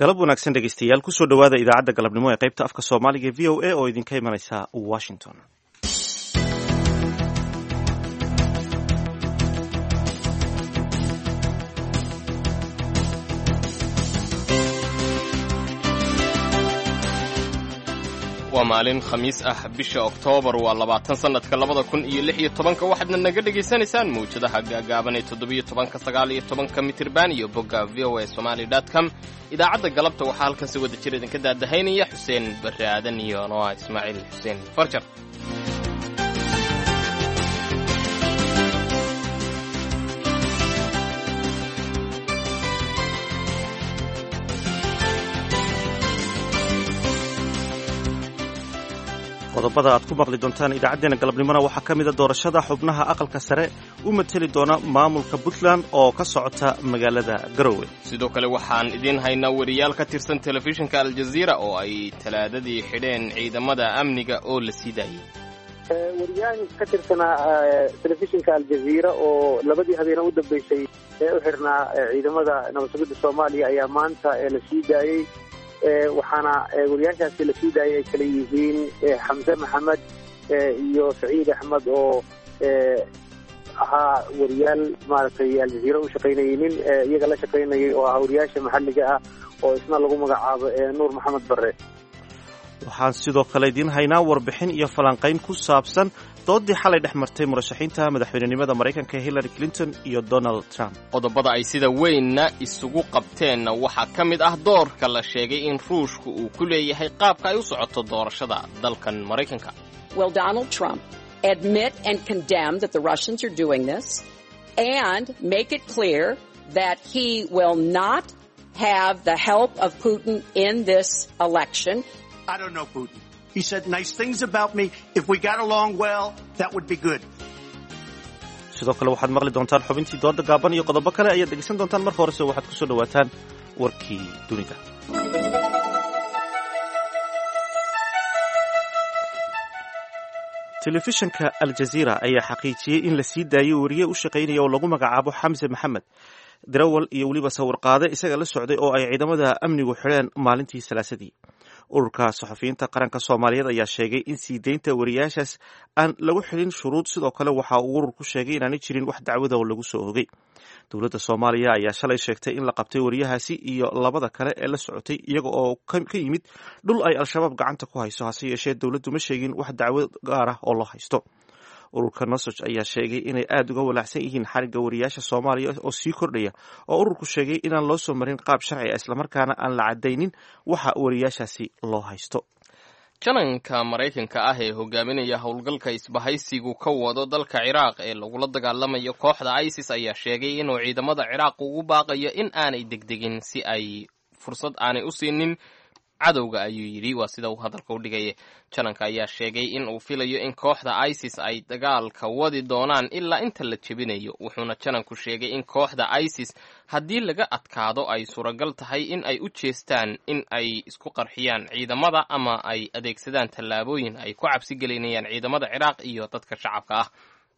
Galab wanaagsan, dhegeystayaal. Kusoo dhowaada idaacadda galabnimo ee qaybta afka Soomaaliga VOA oo idinka imanaysa Washington. Waa maalin Khamiis ah, bisha Oktoobar waa 20, sannadka 2016. Waxaadna naga dhegaysanaysaan mawjadaha gaagaaban ee 17-ka, 19-ka mitirban iyo bogga VOA Somali com. Idaacadda galabta waxaa halkan si wada jir idinka daadahaynaya Xuseen Barre Aadan iyo Noa Ismaaciil Xuseen Farjar. Qodobada aad ku maqli doontaan idaacaddeenna galabnimona waxaa ka mida doorashada xubnaha Aqalka Sare u mateli doona maamulka Puntland oo ka socota magaalada Garowe. Sidoo kale waxaan idiin haynaa weriyaal ka tirsan telefishinka Aljaziira oo ay Talaadadii xidheen ciidamada amniga oo la sii daayey. Wariyahan ka tirsanaa telefishinka Aljaziira oo labadii habeene u dambeysay ee u xirnaa ciidamada nabad sugidda Soomaaliya ayaa maanta la sii daayey, waxaana wariyaashaasi la sii daayay ay kala yihiin Xamse Maxamed iyo Saciid Axmed oo ahaa wariyaal maaragtay Aljaziira u shaqaynayay, nin iyaga la shaqaynayay oo ahaa wariyaasha maxalliga ah oo isna lagu magacaabo Nuur Maxamed Barre. Waxaan sidoo kale idiin haynaa warbixin iyo falanqayn ku saabsan doodii xalay dhex martay murashaxiinta madaxweynenimada Maraykanka Hillary Clinton iyo Donald Trump. Qodobada ay sida weynna isugu qabteenna waxaa ka mid ah doorka la sheegay in Ruushku uu ku leeyahay qaabka ay u socoto doorashada dalkan Maraykanka. Will Donald Trump admit and condemn that the Russians are doing this and make it clear that he will not have the help of Putin in this election? I don't know Putin. He said nice things about me. If we got along well, that would be good. Sidoo kale waxaad maqli doontaan xubintii dooda gaaban iyo qodobo kale ayaad dhegeysan doontaan. Marka horese waxaad kusoo dhawaataan warkii dunida. Telefishinka Aljaziira ayaa xaqiijiyey in la sii daayey weriye u shaqaynaya oo lagu magacaabo Xamse Maxamed, darawal iyo weliba sawirqaade isaga la socday oo ay ciidamada amnigu xidheen maalintii Salaasadii. Ururka Saxafiyiinta Qaranka Soomaaliyeed ayaa sheegay in sii deynta wariyaashaas aan lagu xidhin shuruud. Sidoo kale waxa uu ururku sheegay inaanay jirin wax dacwada oo lagu soo ogay. Dowladda Soomaaliya ayaa shalay sheegtay in la qabtay wariyahaasi iyo labada kale ee la socotay iyaga oo ka yimid dhul ay Al-Shabaab gacanta ku hayso. Hase yeeshee dowladdu ma sheegin wax dacwad gaar ah oo loo haysto. Ururka NUSOJ ayaa sheegay inay aada uga walaacsan yihiin xarigga wariyaasha Soomaaliya oo sii kordhaya, oo ururku sheegay inaan loo soo marin qaab sharci ah, islamarkaana aan la cadaynin waxa wariyaashaasi loo haysto. Jananka Maraykanka ah ee hogaaminaya howlgalka isbahaysigu ka wado dalka Ciraaq ee lagula dagaalamayo kooxda ISIS ayaa sheegay inuu ciidamada Ciraaq ugu baaqayo in aanay degdegin si ay fursad aanay u siinin cadowga, ayuu yidhi. Waa sida uu hadalka u dhigaya. Jananka ayaa sheegay in uu filayo in kooxda ISIS ay dagaalka wadi doonaan ilaa inta la jebinayo, wuxuuna jananku sheegay in kooxda ISIS haddii laga adkaado ay suuragal tahay in ay u jeestaan in ay isku qarxiyaan ciidamada ama ay adeegsadaan tallaabooyin ay ku cabsi gelinayaan ciidamada Ciraaq iyo dadka shacabka ah.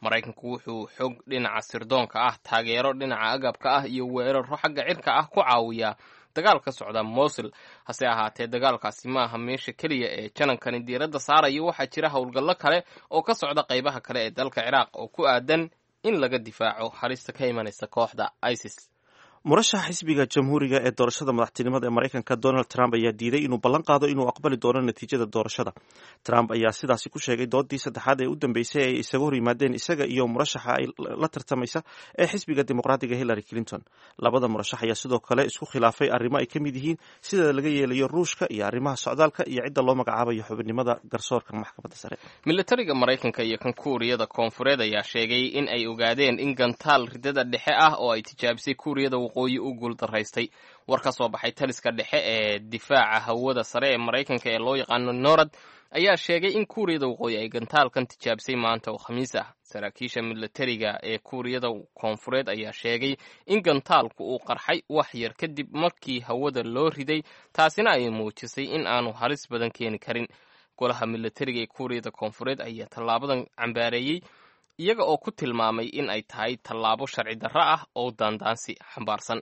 Maraykanku wuxuu xog dhinaca sirdoonka ah, taageero dhinaca agabka ah iyo weeraro xagga cirka ah ku caawiyaa dagaal ka socda Mosul. Hase ahaatee dagaalkaasi maaha meesha keliya ee janankani diiradda saarayo. Waxaa jira howlgallo kale oo ka socda qaybaha kale ee dalka Ciraaq oo ku aadan in laga difaaco halista ka imanaysa kooxda ISIS. Murashaxa xisbiga Jamhuuriga ee doorashada madaxtinimada ee Maraykanka Donald Trump ayaa diiday inuu ballan qaado inuu aqbali doono natiijada doorashada. Trump ayaa sidaasi ku sheegay doodii saddexaad ee u dambeysay ay isaga hor yimaadeen isaga iyo murashaxa ay la tartamaysa ee xisbiga Dimuqraadiga Hillary Clinton. Labada murashax ayaa sidoo kale isku khilaafay arrimo ay ka mid yihiin sida laga yeelayo Ruushka iyo arrimaha socdaalka iyo cidda loo magacaabayo xubinimada garsoorka Maxkamadda Sare. Militariga Maraykanka iyo kan Kuuriyada Koonfureed ayaa sheegay in ay ogaadeen in gantaal ridada dhexe ah oo ay tijaabisay Kuuriyada Waqooyi u guuldaraystay. War ka soo baxay taliska dhexe ee difaaca hawada sare ee Maraykanka ee loo yaqaano NORAD ayaa sheegay in Kuuriyada Waqooyi ay gantaalkan tijaabisay maanta oo Khamiis ah. Saraakiisha militariga ee Kuuriyada Koonfureed ayaa sheegay in gantaalku uu qarxay wax yar kadib markii hawada loo riday, taasina ay muujisay in aanu halis badan keeni karin. Golaha militariga ee Kuuriyada Koonfureed ayaa tallaabadan cambaareeyey, iyaga oo ku tilmaamay in ay tahay tallaabo sharci darro ah oo daandaansi xambaarsan.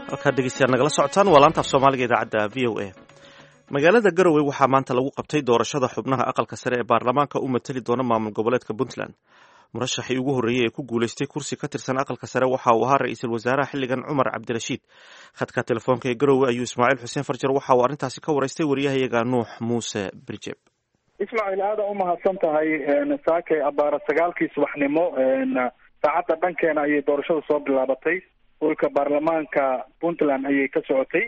Halkaad dhegeystayaal nagala socotaan waa laanta af Soomaaliga, idaacadda VOA. Magaalada Garowe waxaa maanta lagu qabtay doorashada xubnaha aqalka sare ee baarlamaanka u matali doona maamul goboleedka Puntland. Murashaxii ugu horreeyey ee ku guuleystay kursi ka tirsan aqalka sare waxa uu ahaa ra-iisul wasaaraha xilligan, Cumar Cabdirashiid. Khadka telefoonka ee Garowe ayuu Ismaaciil Xuseen Farjar waxa uu arrintaasi ka waraystay wariyahayaga Nuux Muuse Birjeb. Ismaaciil, aada u mahadsan tahay. Saakay abaara 9-kii subaxnimo saacadda dhankeena ayay doorashada soo bilaabatay. Dhulka baarlamaanka Puntland ayay ka socotay.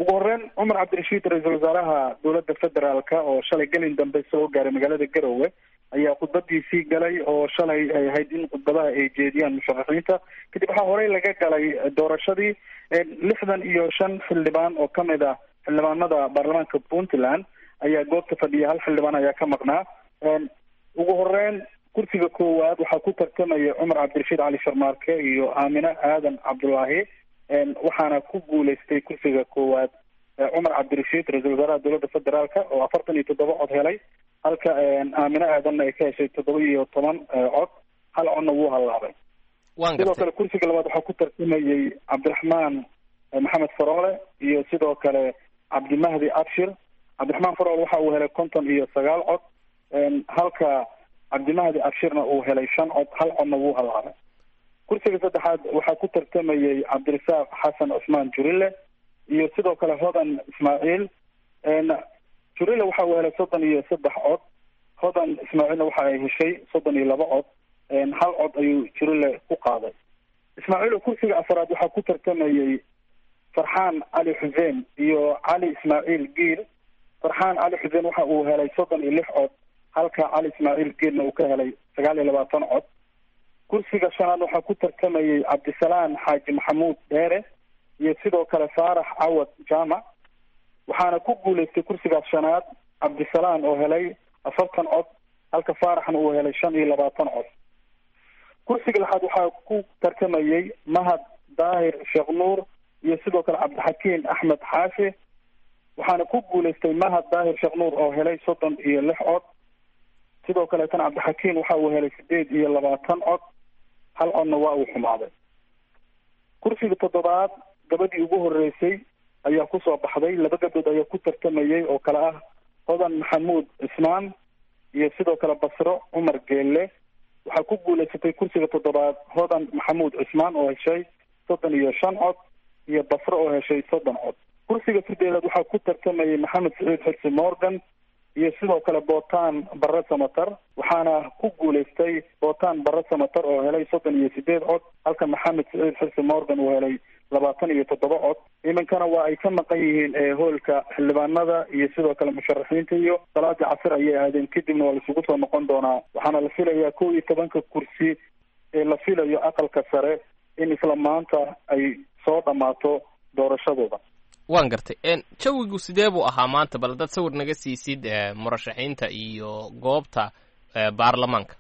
Ugu horeyn, Cumar Cabdirashiid, ra-iisul wasaaraha dowladda federaalka, oo shalay gelin dambe soo gaaray magaalada Garowe, ayaa khudbadiisii galay, oo shalay ay ahayd in khudbadaha ay jeediyaan musharaxiinta. Kadib waxaa horey laga galay doorashadii. 65 xildhibaan oo kamid ah xildhibaanada baarlamaanka Puntland ayaa goobta fadhiya, hal xildhibaan ayaa ka maqnaa. Ugu horeyn, kursiga koowaad waxaa ku tartamaya Cumar Cabdirashiid Cali Sharmaarke iyo Aamine Aadan Cabdulaahi, waxaana ku guuleystay kursiga koowaad Cumar Cabdirashiid, ra-iisul wasaaraha dowladda federaalka, oo 47 cod helay, halka Aamine Aadanna ay ka heshay 17 cod, hal codna wuu hallaabay. Sidoo kale, kursiga labaad waxaa ku tartamayay Cabdiraxmaan Maxamed Faroole iyo sidoo kale Cabdimahdi Abshir. Cabdiraxmaan Faroole waxa uu helay 59 cod, halka Cabdimahdi Abshirna uu helay 5 cod, hal codna wuu hallaabay. Kursiga saddexaad waxaa ku tartamayay Cabdirasaaq Xasan Cusmaan Jurile iyo sidoo kale Hodan Ismaaciil. Jurile waxa uu helay 33 cod, Hodan Ismaaciilna waxa ay heshay 32 cod, hal cod ayuu Jurile ku qaaday. Ismaaciil, kursiga afaraad waxaa ku tartamayay Farxaan Cali Xuseen iyo Cali Ismaaciil Giil. Farxaan Cali Xuseen waxa uu helay 36 cod, halka Cali Ismaaciil Giilna uu ka helay 29 cod. Kursiga shanaad waxaa ku tartamayay Cabdisalaan Xaaji Maxamuud Dheere iyo sidoo kale Faarax Cawad Jaamac, waxaana ku guuleystay kursigaas shanaad Cabdisalaan oo helay 40 cod, halka Faaraxna uu helay 25 cod. Kursiga lixaad waxaa ku tartamayay Mahad Daahir Sheekh Nuur iyo sidoo kale Cabdixakiin Axmed Xaashi, waxaana ku guuleystay Mahad Daahir Sheekh Nuur oo helay 36 cod. Sidoo kaleetana Cabdixakiin waxa uu helay 28 cod, hal codna waa uu xumaaday. Kursiga toddobaad gabadhii ugu horeysay ayaa kusoo baxday. Laba gabdhood ayaa ku tartamayay oo kale ah Hodan Maxamuud Cismaan iyo sidoo kale Basro Cumar Geelle. Waxaa ku guuleysatay kursiga toddobaad Hodan Maxamuud Cismaan oo heshay 35 cod iyo Basro oo heshay 30 cod. Kursiga sideedaad waxaa ku tartamayay Maxamed Saciid Xirsi Morgan iyo sidoo kale Bootaan Barre Samatar, waxaana ku guuleystay Bootaan Barre Samatar oo helay 38 cod, halka Maxamed Saciid Xirsi Morgan uu helay 27 cod. Iminkana waa ay ka maqan yihiin hoolka xildhibaanada iyo sidoo kale musharaxiinta, iyo salaadii casir ayay aadeen, kadibna waa laisugu soo noqon doonaa. Waxaana la filayaa 11-ka kursi ee la filayo aqalka sare in isla maanta ay soo dhammaato doorashadooda. Waan gartay. Jawigu sidee buu ahaa maanta? Bal dad sawir naga siisid murashaxiinta iyo goobta baarlamaanka.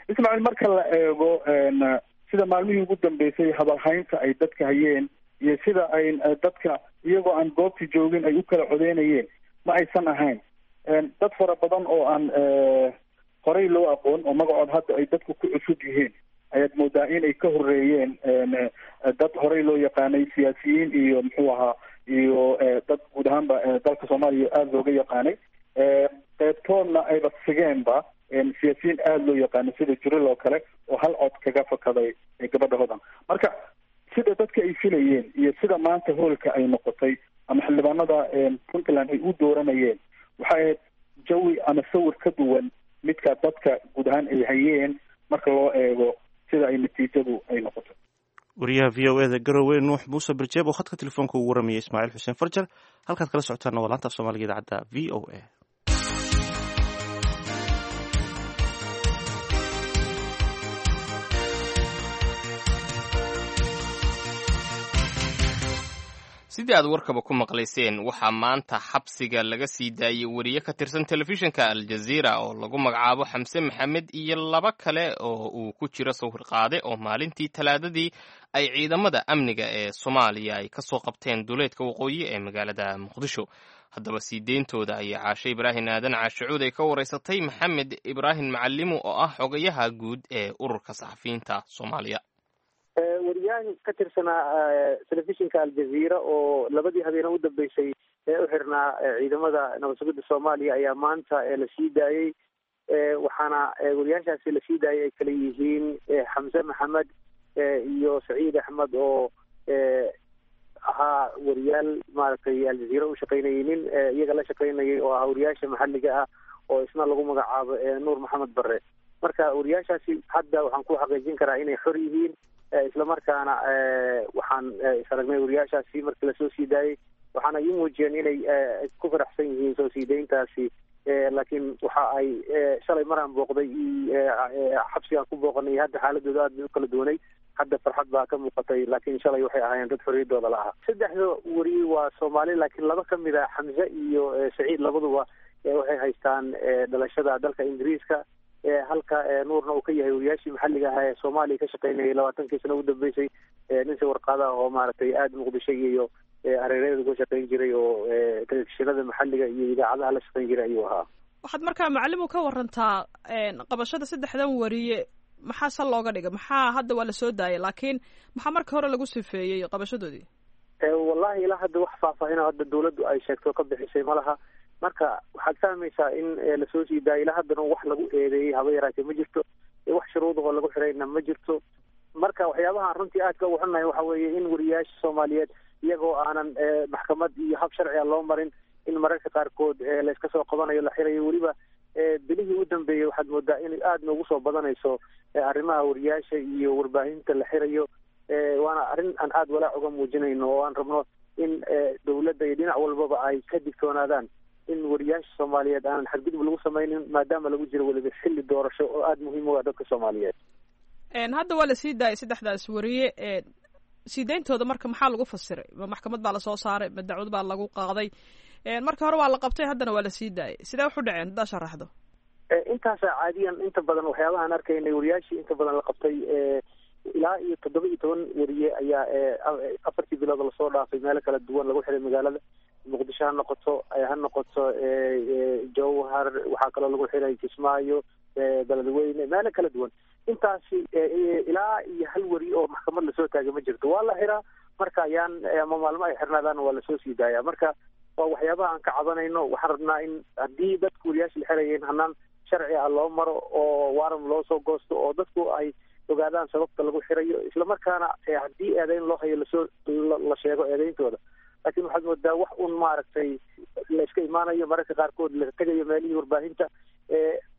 Ismaaciil, marka la eego sida maalmihii ugu dambeysay hadalhaynta ay dadka hayeen iyo sida ay dadka iyagoo aan goobta joogin ay u kala codeynayeen, ma aysan ahayn dad fara badan oo aan horey loo aqoon oo magacood hadda ay dadku ku cusub yihiin ayaad moodaa inay ka horeeyeen dad horey loo yaqaanay, siyaasiyiin iyo muxuu ahaa iyo dad guud ahaanba dalka Soomaaliya aada looga yaqaanay. Qeybtoodna ayba sigeenba siyaasiyiin aada loo yaqaano sida Juril oo kale oo hal cod kaga fakaday gabadha Hodan. Marka sida dadka ay filayeen iyo sida maanta hoolka ay noqotay ama xildhibaanada Puntland ay u dooranayeen, waxay ahayd jawi ama sawir ka duwan midka dadka guud ahaan ay hayeen marka loo eego sida ay natiijadu ay noqotay. Wariyaha VOA da Garowe, Nuux Muuse Birjeeb, oo khadka telefoonka ugu waramayay Ismaaciil Xuseen Farjar. Halkaad kala socotaana waa laanta af Soomaaliga, idaacadda VOA. Sidii aad warkaba ku maqlayseen, waxaa maanta xabsiga laga sii daayey weriye ka tirsan telefishinka Aljaziira oo lagu magacaabo Xamse Maxamed iyo laba kale oo uu ku jiro sawir qaade, oo maalintii Talaadadii ay ciidamada amniga ee Soomaaliya ay ka soo qabteen duleedka waqooyi ee magaalada Muqdisho. Haddaba sii deyntooda ayaa Caashe Ibraahim Aadan Caashicuud ay ka wareysatay Maxamed Ibraahim Macalimu, oo ah xogayaha guud ee ururka saxafiyiinta Soomaaliya. Wariyaal ka tirsanaa telefishinka Aljazeera oo labadii habeene u dambeysay ee u xirnaa ciidamada nabad sugidda Soomaaliya ayaa maanta la sii daayey. Waxaana wariyaashaasi la sii daayay ay kala yihiin Xamse Maxamed iyo Saciid Axmed oo ahaa wariyaal maaragtay Aljazeera u shaqaynayay, nin iyaga la shaqaynayay oo ahaa wariyaasha maxalliga ah oo isna lagu magacaabo Nuur Maxamed Barre. Marka wariyaashaasi hadda waxaan ku xaqiijin karaa inay xor yihiin, islamarkaana waxaan is aragnay wariyaashaasi markii lasoo sii daayey, waxaana ii muujiyeen inay ku faraxsan yihiin soo sii dayntaasi. Laakiin waxa ay shalay maraan booqday xabsigaan ku booqanay, hadda xaaladooda aad bay u kala duwanay, hadda farxad baa ka muuqatay, laakiin shalay waxay ahaayeen dad xorriyaddooda la ahaa. Saddexda weriye waa Soomaali, laakiin laba ka mid a, Xamse iyo Saciid, labaduba waxay haystaan dhalashada dalka Ingiriiska, halka Nuurna uu ka yahay wariyaashii maxalliga ahaa ee Soomaaliya ka shaqaynayay 20kii sano ugu dambeysay, nin sawirqaadaha oo maaragtay aada Muqdisho iyo hareeraheeda uga shaqayn jiray oo telefishinada maxalliga iyo idaacadaha la shaqayn jiray ayuu ahaa. Waxaad markaa macalimu ka warantaa qabashada saddexdan wariye, maxaa sal looga dhigay? Maxaa hadda waa lasoo daayay, laakiin maxaa marka hore lagu sifeeyey qabashadoodii? Wallahi ilaa hadda wax faahfaahin hadda dawladdu ay sheegto ka bixisay ma laha. Marka waxaad fahmaysaa in lasoo sii daayay, ilaa haddana wax lagu eedeeyey haba yaraatee ma jirto, wax shuruudahoo lagu xirayna ma jirto. Marka waxyaabahaan runtii aadka ugu xunnahay waxa weeye in wariyaasha Soomaaliyeed iyagoo aanan maxkamad iyo hab sharciga loo marin in mararka qaarkood layska soo qabanayo, la xirayo. Weliba bilihii u dambeeyey waxaad moodaa in aada noogu soo badanayso arrimaha wariyaasha iyo warbaahinta la xirayo, waana arrin aan aada walaac uga muujinayno oo aan rabno in dawladda iyo dhinac walbaba ay ka digtoonaadaan in wariyaasha Soomaaliyeed aanan xadgudub lagu samaynin, maadaama lagu jiro weliba xilli doorasho oo aada muhiim u ah dadka Soomaaliyeed. Hadda waa lasii daayay saddexdaas wariye, sii dayntooda marka maxaa lagu fasiray? Ma maxkamad baa lasoo saaray? Ma dacwad baa lagu qaaday? Marka hore waa la qabtay, haddana waa lasii daayay, sidee wax u dhaceen haddaa sharaxdo? Intaasa caadiyan inta badan waxyaabahaan arkaynay wariyaashii inta badan la qabtay, ilaa iyo 17 wariye ayaa 4tii bilood lasoo dhaafay meelo kala duwan lagu xiray magaalada Muqdisho, ha noqoto Jowhar, waxaa kaloo lagu xiray Kismaayo, Beledweyne, meelo kala duwan. Intaasi ilaa iyo hal weri oo maxkamad lasoo taagay ma jirto. Waa la xiraa marka ayaan ama maalmo ay xirnaadaan waa lasoo sii daayaa. Marka waa waxyaabaha aan ka cabanayno. Waxaan rabnaa in haddii dadku wariyaasha la xirayeen hanaan sharci ah loo maro oo waran loo soo goosto oo dadku ay ogaadaan sababta lagu xirayo, islamarkaana haddii eedeyn loo hayo lasoo la sheego eedeyntooda. Laakiin waxaad moodaa wax un maaragtay la iska imaanayo, mararka qaarkood la tegayo meelihii warbaahinta,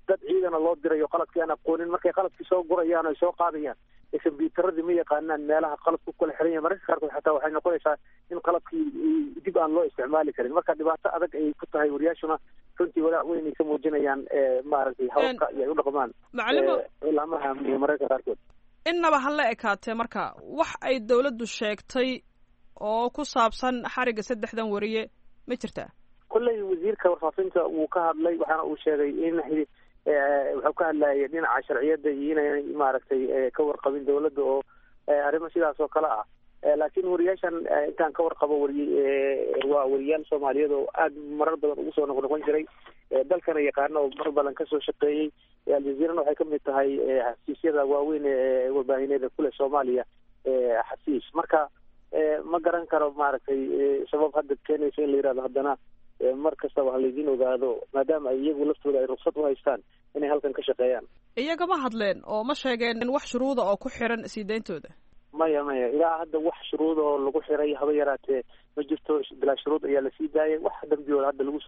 dad ciidana loo dirayo qaladkii aan aqoonin, markay qaladkii soo gurayaan o ay soo qaadayaan combyuutaradii ma yaqaanaan meelaha qalabku kala xiran yahay. Mararka qaarkood xataa waxay noqonaysaa in qalabkii dib aan loo isticmaali karin. Marka dhibaato adag ayay ku tahay, wariyaashuna runtii walaac weyn ay ka muujinayaan maaragtay hababka iyo ay u dhaqmaan laamaha amniga mararka qaarkood. Innaba ha la ekaatee, marka wax ay dawladdu sheegtay oo ku saabsan xarigga saddexdan wariye ma jirtaa? Kolley wasiirka warfaafinta wuu ka hadlay, waxaana uu sheegay in wuxuu ka hadlayay dhinaca sharciyadda iyo inay maaragtay ka warqabin dawladda oo arrimo sidaas oo kale ah. Laakiin wariyaashan intaan ka warqabo wariy waa wariyaal Soomaaliyeed oo aada marar badan ugu soo noqnoqon jiray dalkana yaqaano oo mar badan kasoo shaqeeyey. Aljazeerana waxay kamid tahay xafiisyada waaweyn ee warbaahineeda kule Soomaaliya xafiis. Marka ma garan karo maaragtay sabab hadda keenaysa in la yihahdo haddana mar kastaba ha laydin ogaado, maadaama ay iyagu laftooda ay ruksad u haystaan inay halkan ka shaqeeyaan. Iyaga ma hadleen oo ma sheegeen wax shuruuda oo ku xiran sii dayntooda? Maya, ilaa hadda wax shuruud oo lagu xiray haba yaraatee ma jirto. Bilaa shuruud ayaa lasii daayay, wax dambiyooda hadda lagu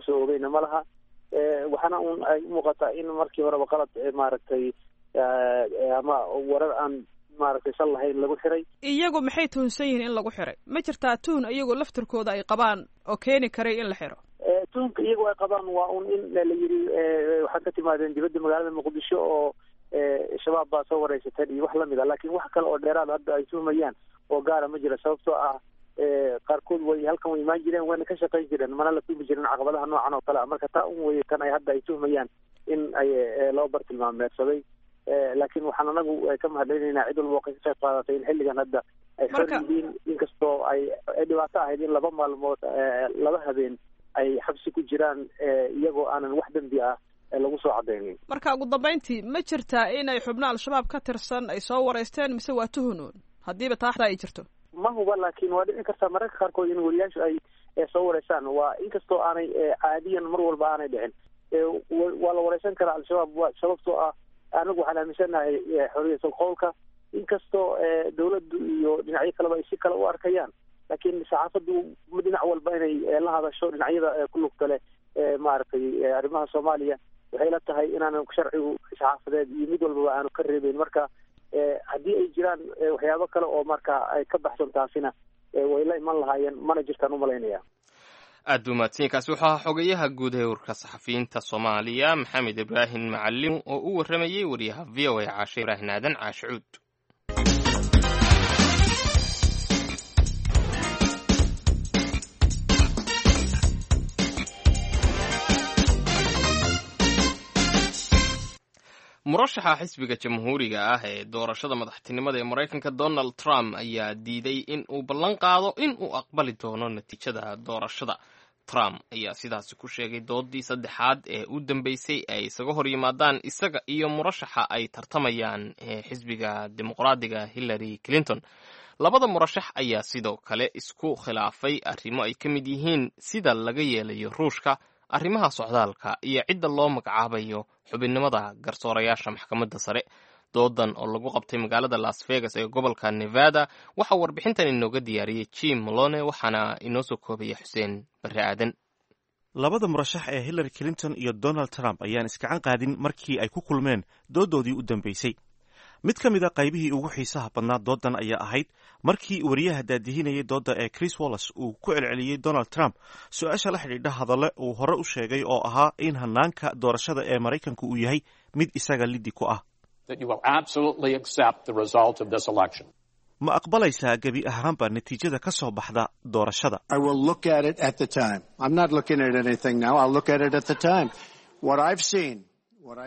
soo oogayna ma laha. Waxaana un ay umuuqataa in markii horeba qalad maaragtay ama warar aan maaragtay sal lahayn lagu xiray. Iyagu maxay tuhunsan yihiin in lagu xiray? Ma jirtaa tuhun iyagu laftirkooda ay qabaan oo keeni karay in la xiro? Tuhunka iyagu ay qabaan waa un in la yidhi waxaad ka timaadeen dibadda magaalada Muqdisho oo Shabaab baa soo wareysateen iyo wax lamid a, laakiin wax kale oo dheeraad hadda ay tuhmayaan oo gaara ma jira, sababtoo ah qaarkood way halkan way imaan jireen, wayna ka shaqayn jireen, mana la tuhmi jirin caqabadaha noocan oo kale ah. Marka taa un weye tan ay hadda ay tuhmayaan in ay loo bartilmaameedsaday. Laakiin waxaan anagu ka mahadcelinaynaa cid walba oo ka qayb qaadatay in xilligan hadda ay xor yihiin, inkastoo ay dhibaato ahayd in 2 maalmood 2 habeen ay xabsi ku jiraan iyagoo aanan wax dembi ah Lagu soo cadeynin. Marka ugu dambeyntii, ma jirtaa inay xubno Al-Shabaab ka tirsan ay soo wareysteen, mise waa tuhunoon haddiiba taaxda ay jirto? Ma huba, laakiin waa dhici kartaa mararka qaarkood in wariyaashu ay soo wareystaan. Waa inkastoo aanay caadiyan mar walba aanay dhicin, waa la wareysan karaa Al-Shabaab, sababtoo ah anagu waxaan aaminsanahay xoriyatul qowlka, inkastoo dawladdu iyo dhinacyo kaleba ay si kale u arkayaan, laakiin saxaafaddu dhinac walba inay la hadasho dhinacyada ku lugta leh maaragtay arrimaha Soomaaliya, waxay la tahay inaanan sharcigu saxaafadeed iyo mid walbaba aanu ka reebeyn. Marka haddii ay jiraan waxyaabo kale oo marka ay ka baxsan taasina, way la iman lahaayeen, mana jirtaan umalaynaya. Aad buu mahadsanyahy. Wuxuu ahaa xogayaha guud ee ururka saxafiyiinta Soomaaliya, Maxamed Ibraahim Macalim, oo u warramayey wariyaha VOA Caashe Ibraahim Aadan Caashicuud. Murashaxa xisbiga Jamhuuriga ah ee doorashada madaxtinimada ee Maraykanka, Donald Trump, ayaa diiday in uu ballan qaado in uu aqbali doono natiijada doorashada. Trump ayaa sidaasi ku sheegay doodii saddexaad ee u dambeysay ay isaga hor yimaadaan isaga iyo murashaxa ay tartamayaan ee xisbiga Dimuqraadiga, Hillary Clinton. Labada murashax ayaa sidoo kale isku khilaafay arrimo ay ka mid yihiin sida laga yeelayo Ruushka, arrimaha socdaalka iyo cidda loo magacaabayo xubinnimada garsoorayaasha maxkamadda sare. Doodan oo lagu qabtay magaalada Las Vegas ee gobolka Nevada waxaa warbixintan inooga diyaariyey Jim Malone, waxaana inoo soo koobaya Xuseen Barre Aadan. Labada murashax ee Hillary Clinton iyo Donald Trump ayaan iskacan qaadin markii ay ku kulmeen doodoodii u dambeysay. Mid ka mid a qaybihii ugu xiisaha badnaa doodan ayaa ahayd markii wariyaha daadihinayay doodda ee Chris Wallace uu ku celceliyey Donald Trump su-aasha la xidhiidha hadalle uu hore u sheegay oo ahaa in hanaanka doorashada ee Maraykanku uu yahay mid isaga liddi ku ah. Ma aqbalaysaa gebi ahaanba natiijada ka soo baxda doorashada?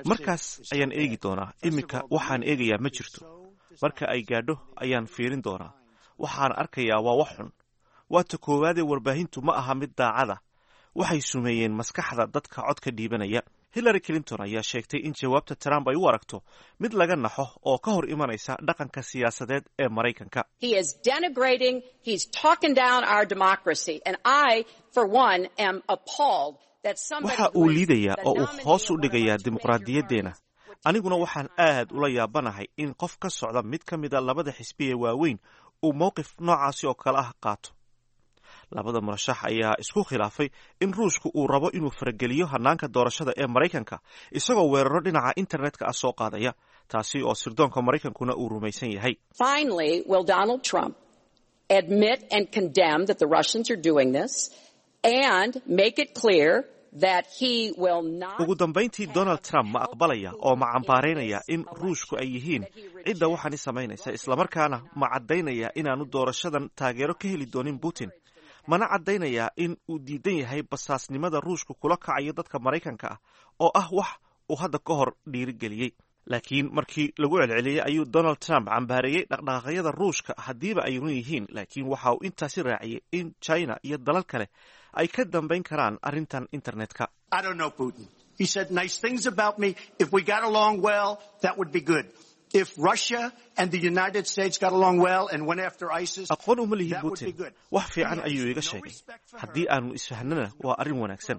Markaas ayaan eegi doonaa. Iminka waxaan eegayaa ma jirto. Marka ay gaadho ayaan fiirin doonaa. Waxaan arkayaa waa wax xun. Waa ta koowaadee, warbaahintu ma aha mid daacada. Waxay sumeeyeen maskaxda dadka codka dhiibanaya. Hillary Clinton ayaa sheegtay in jawaabta Trump ay u aragto mid laga naxo oo ka hor imanaysa dhaqanka siyaasadeed ee Maraykanka. He is denigrating, he's talking down our democracy. And I, for one, am appalled that somebody Waxa uu liidayaa oo uu hoos u dhigayaa dimuqraadiyaddeenna. Aniguna waxaan aad ula yaabanahay in qof ka socda mid ka mida labada xisbi ee waaweyn uu mowqif noocaasi oo kale ah qaato. Labada murashax ayaa isku khilaafay in Ruushku uu rabo inuu farageliyo hanaanka doorashada ee Maraykanka, isagoo weeraro dhinaca internetka ah soo qaadaya, taasi oo sirdoonka Maraykankuna uu rumaysan yahay. Finally, will Donald Trump admit and condemn that the Russians are doing this and make it clear that he will not Ugu dambayntii, Donald Trump ma aqbalaya oo ma cambaaraynaya in Ruushku ay yihiin cidda waxaani samaynaysa, islamarkaana ma caddaynaya inaanu doorashadan taageero ka heli doonin Putin, mana caddaynayaa in uu diidan yahay basaasnimada Ruushku kula kacayo dadka Maraykanka ah, oo ah wax uu hadda ka hor dhiirigeliyey? Laakiin markii lagu celceliyey ayuu Donald Trump cambaareeyey dhaqdhaqaaqyada Ruushka haddiiba ay run yihiin, laakiin waxa uu intaasi raaciyey in China iyo dalal kale ay ka dambayn karaan arrintan internetka. I don't know Putin. He said nice things about me. If we got along well, that would be good. If Russia and the United States got along well and went after ISIS, Aqoon uma lihi that would be Putin. good. Wax fiican ayuu iga sheegay. Haddii aanu isfahnana, waa arrin wanaagsan.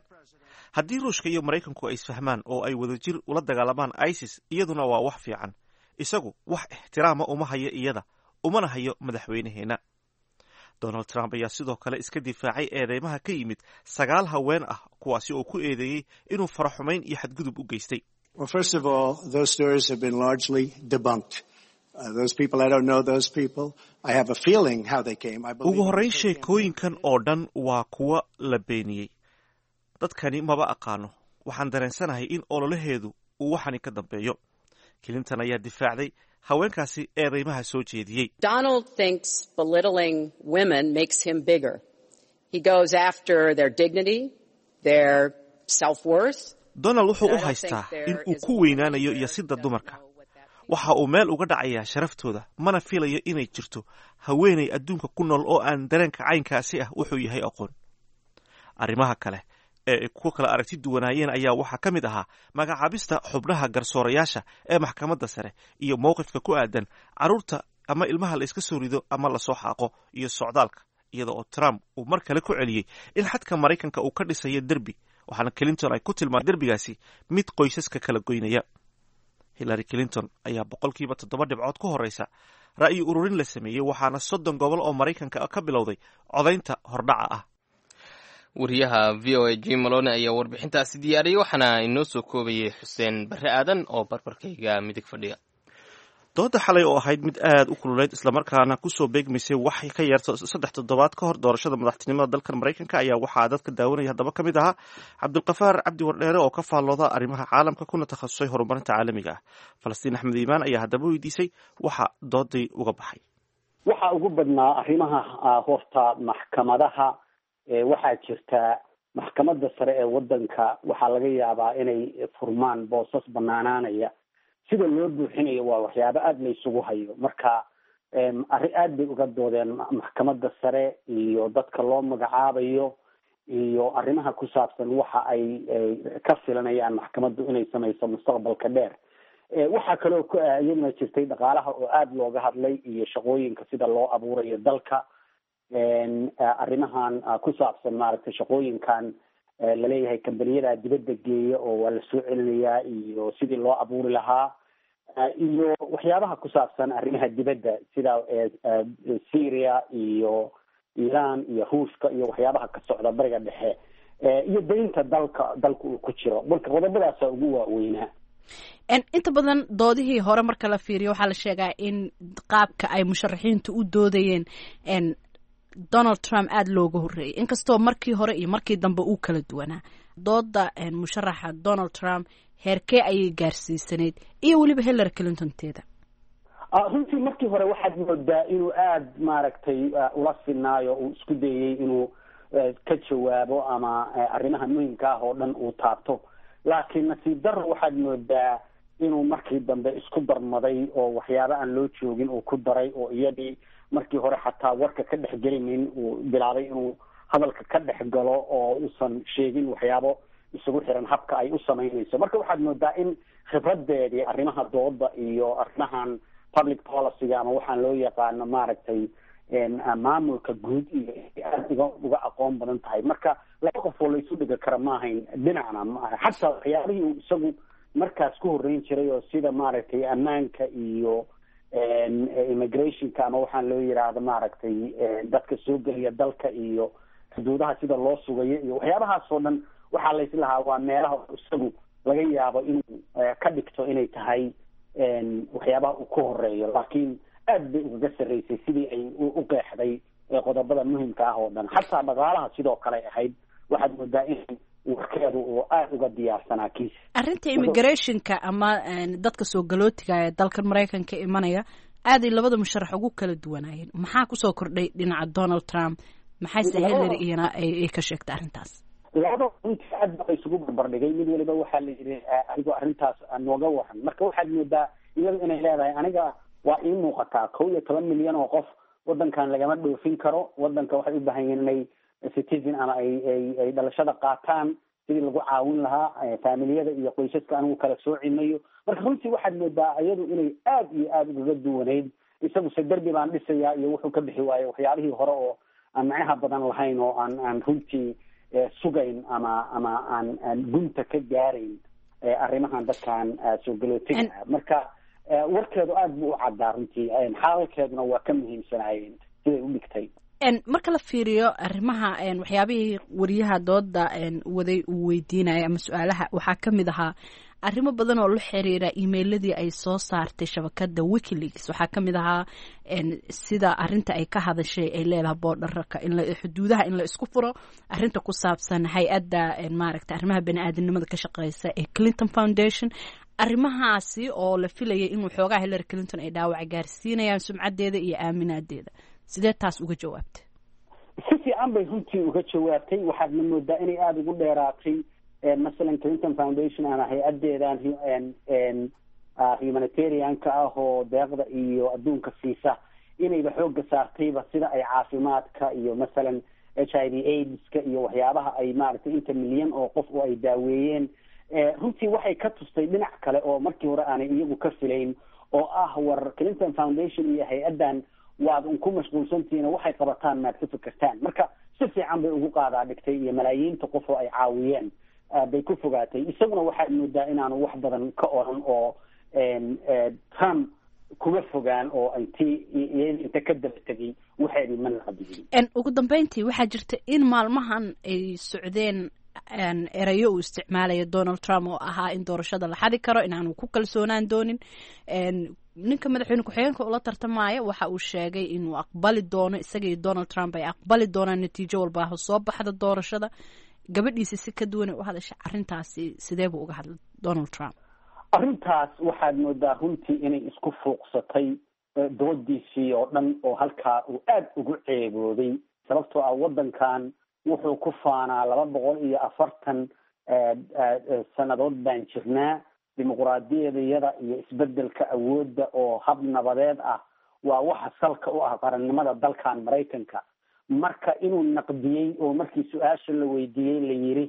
Haddii Ruushka iyo Maraykanku ay isfahmaan oo ay wadajir ula dagaalamaan ISIS, iyaduna waa wax fiican. Isagu wax ixtiraama uma hayo iyada, umana hayo madaxweynaheenna. Donald Trump ayaa sidoo kale iska difaacay eedeymaha ka yimid sagaal haween ah, kuwaasi oo ku eedeeyey inuu faraxumayn iyo xadgudub u geystay. Well, first of all, those stories have been largely debunked. Those people, I don't know those people. I have a feeling how they came. I believe Ugu horrayn, sheekooyinkan oo dhan waa kuwa la beeniyey. Dadkani maba aqaano. Waxaan dareensanahay in ololaheedu uu waxani ka dambeeyo. Clinton ayaa difaacday haweenkaasi eedeymaha soo jeediyey. Donald thinks belittling women makes him bigger. He goes after their dignity, their self-worth. Donald wuxuu u haystaa in uu ku weynaanayo yasidda dumarka. Waxa uu meel uga dhacayaa sharaftooda, mana filayo inay jirto haweenay adduunka ku nool oo aan dareenka caynkaasi ah wuxuu yahay aqoon. Arrimaha kale ee ay ku kala aragti duwanaayeen ayaa waxaa ka mid ahaa magacaabista xubnaha garsoorayaasha ee maxkamadda sare iyo mowqifka ku aadan carruurta ama ilmaha la iska soo rido ama lasoo xaaqo iyo socdaalka, iyada oo Trump uu mar kale ku celiyey in xadka Maraykanka uu ka dhisayo derbi, waxaana Clinton ay ku tilmaamay derbigaasi mid qoysaska kala goynaya. Hillary Clinton ayaa 7% dhibcood ku horeysa ra'yi ururin la sameeyey, waxaana 30 gobol oo Maraykanka ka bilowday codaynta hordhaca ah. Wariyaha VOA Jim Malone ayaa warbixintaasi diyaariyey, waxaana inoo soo koobayay Xuseen Barre Aadan oo barbarkayga midig fadhiya. Dooda xalay oo ahayd mid aad u kululeyd, islamarkaana kusoo beegmaysay wax ka yarto 3 toddobaad ka hor doorashada madaxtinimada dalkan Maraykanka, ayaa waxaa dadka daawanaya haddaba ka mid ahaa Cabdulkafaar Cabdi Wardheere oo ka faallooda arrimaha caalamka kuna takhasusay horumarinta caalamiga ah. Falastiin Axmed Iimaan ayaa haddaba weydiisay waxa dooday uga baxay. Waxaa ugu badnaa arrimaha horta maxkamadaha. Waxaa jirta maxkamadda sare ee waddanka, waxaa laga yaabaa inay furmaan boosas banaanaanaya. Sida loo buuxinayo waa waxyaabo aada la isugu hayo. Marka arrin aada bay uga doodeen maxkamadda sare iyo dadka loo magacaabayo iyo arrimaha ku saabsan waxa ay ka filanayaan maxkamaddu inay samayso mustaqbalka dheer. Waxaa kaloo iyaduna jirtay dhaqaalaha oo aada looga hadlay iyo shaqooyinka sida loo abuurayo dalka, arrimahan ku saabsan maaragtay shaqooyinkan laleeyahay kambaniyada dibadda geeya oo waa lasoo celinayaa iyo sidii loo abuuri lahaa, iyo waxyaabaha ku saabsan arrimaha dibadda sida Syria iyo Iran iyo Ruushka iyo waxyaabaha ka socda Bariga Dhexe iyo deynta dalka uu ku jiro. Marka qodobadaasa ugu waaweynaa. Inta badan doodihii hore marka la fiiriyo, waxaa la sheegaa in qaabka ay musharaxiintu u doodayeen Donald Trump aada looga horreeyay, inkastoo markii hore iyo markii dambe uu kala duwanaa. Dooda musharaxa Donald Trump heerkee ayay gaarsiisanayd iyo weliba Hillary Clinton teeda? Runtii markii hore waxaad moodaa inuu aada maaragtay ula sinaayo, uu isku dayey inuu ka jawaabo ama arrimaha muhimka ah oo dhan uu taabto, laakiin nasiib darro waxaad moodaa inuu markii dambe isku darmaday oo waxyaaba aan loo joogin uu ku daray, oo iyadii markii hore xataa warka ka dhex gelinin uu bilaabay inuu hadalka ka dhex galo oo uusan sheegin waxyaabo isugu xiran habka ay u samaynayso. Marka waxaad moodaa in khibradeedii arrimaha dooda iyo arrimahan public policyga ama waxaan loo yaqaano maaragtay maamulka guud iyo aada uga aqoon badan tahay. Marka laba qof oo laysu dhigi kara maahayn dhinacna maaha, xataa waxyaabihii uu isagu markaas ku horreyn jiray oo sida maaragtay ammaanka iyo immigrationka ama waxaan loo yiraahdo maaragtay dadka soo geliya dalka iyo xuduudaha sida loo sugayo iyo waxyaabahaas oo dhan, waxaa layslahaa waa meelaha isagu laga yaabo inuu ka dhigto inay tahay waxyaabaha uu ku horeeyo, laakiin aad bay ugaga sarreysay sidii ay u qeexday qodobada muhimka ah oo dhan. Xataa dhaqaalaha sidoo kale ahayd, waxaad moodaa in warkeedu uu aada uga diyaarsanaa kiis. Arrinta immigrationka ama dadka soo galootiga ee dalkan Maraykanka imanaya aaday labada musharax ugu kala duwanaayeen. Maxaa kusoo kordhay dhinaca Donald Trump, maxayse Hillary iyana ay ka sheegtay arrintaas? Labada runtii aad ba isugu barbardhigay. Mid waliba waxaa la yidhi adigoo arrintaas nooga waran. Marka waxaad moodaa iyadu inay leedahay aniga waa ii muuqataa 11 milyan oo qof wadankan lagama dhoofin karo, wadanka waxay u baahan yihiin inay citizen ama ay dhalashada qaataan, sidii lagu caawin lahaa faamiliyada iyo qoysaska anigu kala soocimayo. Marka runtii waxaad moodaa iyadu inay aad iyo aada ugaga duwanayd. Isaguse derbi baan dhisayaa iyo wuxuu ka bixi waayey waxyaabihii hore oo aan macnaha badan lahayn oo aan runtii sugayn ama aan gunta ka gaarayn arrimahan dadkan soo galootiga. Marka warkeedu aada buu u caddaa runtii, xaalalkeeduna waa ka muhiimsanaayeen siday u dhigtay. Marka la fiiriyo arrimaha, waxyaabihii wariyaha dooda waday uu weydiinaya ama su-aalaha, waxaa ka mid ahaa arrimo badan oo la xiriira emailadii ay soo saartay shabakada WikiLeaks. Waxaa ka mid ahaa sida arinta ay ka hadashay ay leedahay borderka in xuduudaha in la isku furo, arrinta ku saabsan hay-adda maaragta arrimaha bani-aadamnimada ka shaqeysa ee Clinton Foundation, arrimahaasi oo la filayay inuu xoogaa Hillary Clinton ay dhaawac gaarsiinayaan sumcaddeeda iyo aaminaadeeda. Sidee taas uga jawaabtay? Si fiican bay runtii uga jawaabtay. Waxaadna moodaa inay aada ugu dheeraatay masalan Clinton Foundation ama hay-addeedan humanitarianka ah oo deeqda iyo adduunka siisa, inayba xoogga saartayba sida ay caafimaadka iyo masalan HIV AIDS-ka iyo waxyaabaha ay maaragtay inta milyan oo qof oo ay daaweeyeen. Runtii waxay ka tustay dhinac kale oo markii hore aanay iyagu ka filayn, oo ah war Clinton Foundation iyo hay-addan waad un ku mashquulsantihiin oo waxay qabataan maad ka fikirtaan. Marka si fiican bay ugu qaadaa dhigtay iyo malaayiinta qof oo ay caawiyeen bay ku fogaatay. Isaguna waxaad moodaa inaanu wax badan ka oran oo Trump kuma fogaan oo intii inta ka daba tegay waxeedii ma naqdiyin. Ugu dambeyntii, waxaa jirta in maalmahan ay socdeen erayo uu isticmaalayo Donald Trump oo ahaa in doorashada la xadi karo, inaanu ku kalsoonaan doonin ninka madaxweyne ku-xigeenka ula tartamaya. Waxa uu sheegay inuu aqbali doono, isaga iyo Donald Trump ay aqbali doonaan natiijo walba soo baxda doorashada. Gabadhiisa si ka duwan u hadasha arrintaasi, sidee buu uga hadlay Donald Trump? Arrintaas waxaad moodaa runtii inay isku fuuqsatay doodiisii oo dhan, oo halkaa uu aada ugu ceeboobay, sababtoo ah waddankan wuxuu ku faanaa 240 sannadood baan jirnaa, dimuquraadiyadayada iyo isbedelka awoodda oo hab nabadeed ah waa waxa salka u ah qarannimada dalkan Maraykanka. Marka inuu naqdiyey oo markii su-aasha la weydiiyey la yiri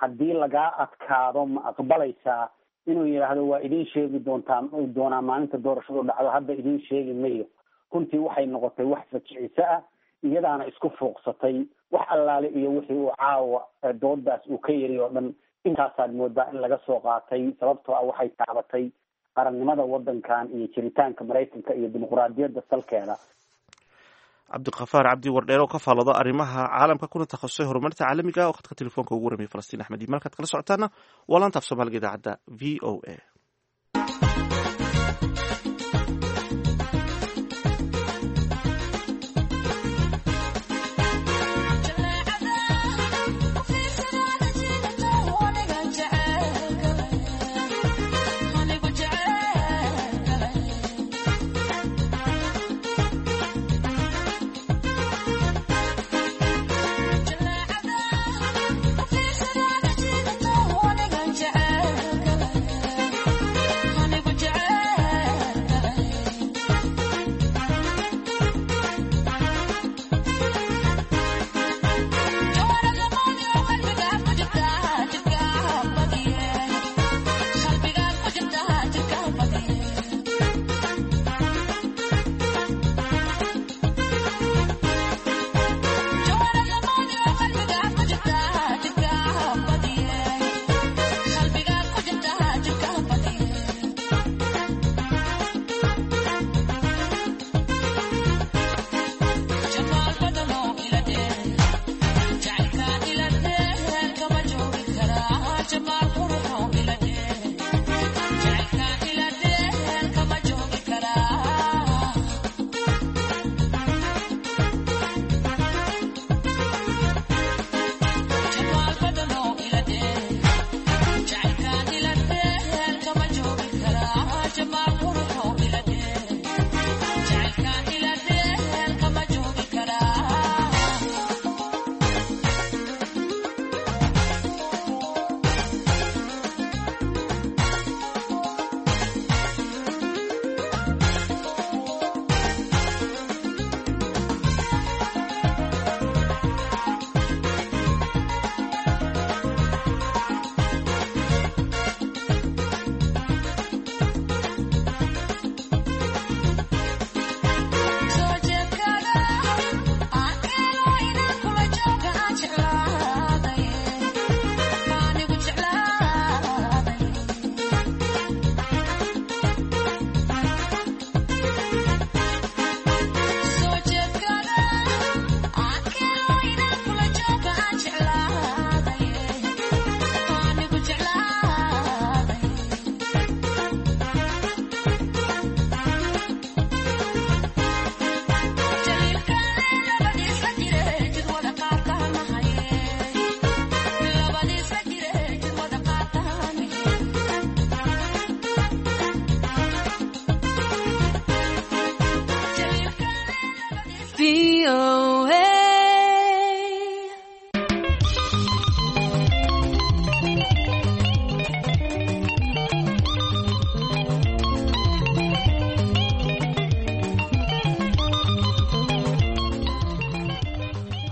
haddii lagaa adkaado ma aqbalaysaa, inuu yidhaahdo waa idin sheegi doontaa doonaa maalinta doorashadu dhacdo, hadda idin sheegi mayo, runtii waxay noqotay wax fajiciso ah, iyadaana isku fuuqsatay. Wax allaale iyo wixii uu caawa doodaas uu ka yiri oo dhan intaasaad moodaa in laga soo qaatay, sababtoo ah waxay taabatay qarannimada waddankan iyo jiritaanka Maraykanka iyo dimuquraadiyadda salkeeda. Cabdiqafaar Cabdi Wardheer oo ka faallooda arrimaha caalamka kuna takhasusay horumarinta caalamiga oo khadka telefoonka ugu warramiyay Falastiin Axmed Iimaan. Halkaad kala socotaana waa laanta af Soomaaliga idaacadda VOA.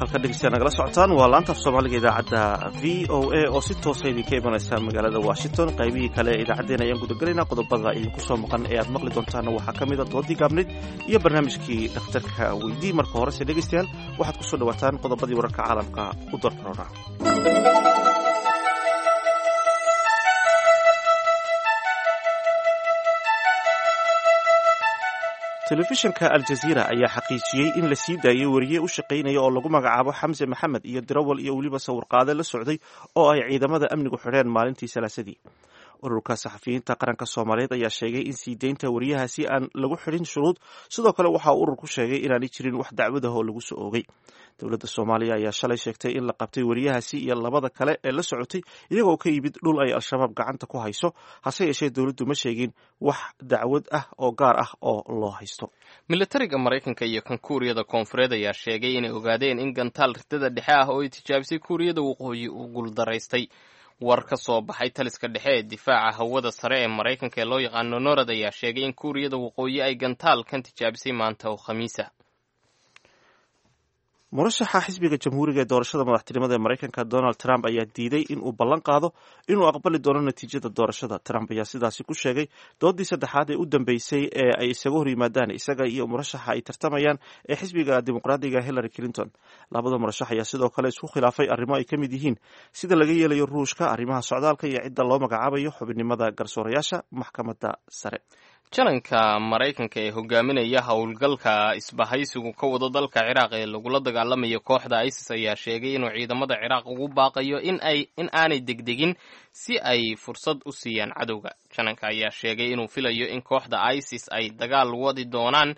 Halka dhegeystayaal nagala socotaan waa laanta af Soomaaliga idaacadda VOA oo si toosa idinka imanaysa magaalada Washington. Qaybihii kale ee idaacaddeen ayaan gudagelaynaa. Qodobada idinku soo maqan ee aad maqli doontaanna waxaa ka mid a doodii gaabnayd iyo barnaamijkii dhakhtarka weydii. Marka horese dhegeystayaal waxaad kusoo dhawaataan qodobadii wararka caalamka u darkaroona. Telefishinka Aljaziira ayaa xaqiijiyey in la sii daayey weriye u shaqaynaya oo lagu magacaabo Xamse Maxamed iyo dirawal iyo weliba sawirqaade la socday oo ay ciidamada amnigu xidheen maalintii Salaasadii. Ururka saxafiyiinta qaranka Soomaaliyeed ayaa sheegay in sii deynta weriyahaasi aan lagu xidhin shuruud. Sidoo kale waxa uu ururku sheegay inaanay jirin wax dacwad ah oo lagu soo oogay. Dowladda Soomaaliya ayaa shalay sheegtay in la qabtay weriyahaasi iyo labada kale ee la socotay iyagoo ka yimid dhul ay Al-Shabaab gacanta ku hayso. Hase yeeshee dowladdu ma sheegin wax dacwad ah oo gaar ah oo loo haysto. Militariga Maraykanka iyo kan Kuuriyada Koonfureed ayaa sheegay inay ogaadeen in gantaal ridada dhexe ah oo ay tijaabisay Kuuriyada Waqooyi uu guuldaraystay. War ka soo baxay taliska dhexe ee difaaca hawada sare ee Maraykanka ee loo yaqaano NORAD ayaa sheegay in Kuuriyada Waqooyi ay gantaalkan tijaabisay maanta oo Khamiisa. Murashaxa xisbiga Jamhuuriga ee doorashada madaxtinimada ee Maraykanka Donald Trump ayaa diiday in uu ballan qaado inuu aqbali doono natiijada doorashada. Trump ayaa sidaasi ku sheegay doodii saddexaad ee u dambeysay ee ay isaga hor yimaadaan isaga iyo murashaxa ay tartamayaan ee xisbiga Dimuqraadiga Hillary Clinton. Labada murashax ayaa sidoo kale isku khilaafay arrimo ay ka mid yihiin sida laga yeelayo Ruushka, arrimaha socdaalka iyo cidda loo magacaabayo xubinimada garsoorayaasha maxkamadda sare. Jalanka Maraykanka ee hogaaminaya howlgalka isbahaysigu ka wado dalka Ciraaq ee lagula dagaalamayo kooxda ISIS ayaa sheegay inuu ciidamada Ciraaq ugu baaqayo in aanay degdegin si ay fursad u siiyaan cadowga. Jalanka ayaa sheegay inuu filayo in kooxda ISIS ay dagaal wadi doonaan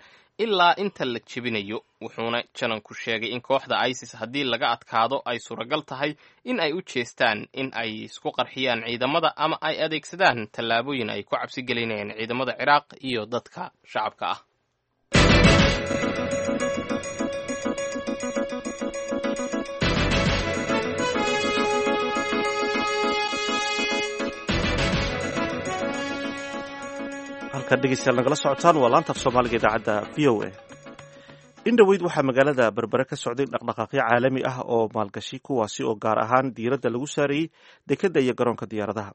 ilaa inta la jebinayo, wuxuuna jananku sheegay in kooxda ISIS haddii laga adkaado ay suuragal tahay in ay u jeestaan in ay isku qarxiyaan ciidamada ama ay adeegsadaan tallaabooyin ay ku cabsi gelinayaan ciidamada Ciraaq iyo dadka shacabka ah. Halkaad dhegeystayaal nagala socotaan waa laanta af Soomaaliga idaacadda VOA. In dhoweyd waxaa magaalada Berbere ka socday dhaqdhaqaaqyo caalami ah oo maalgashi, kuwaasi oo gaar ahaan diiradda lagu saarayey dekedda iyo garoonka diyaaradaha.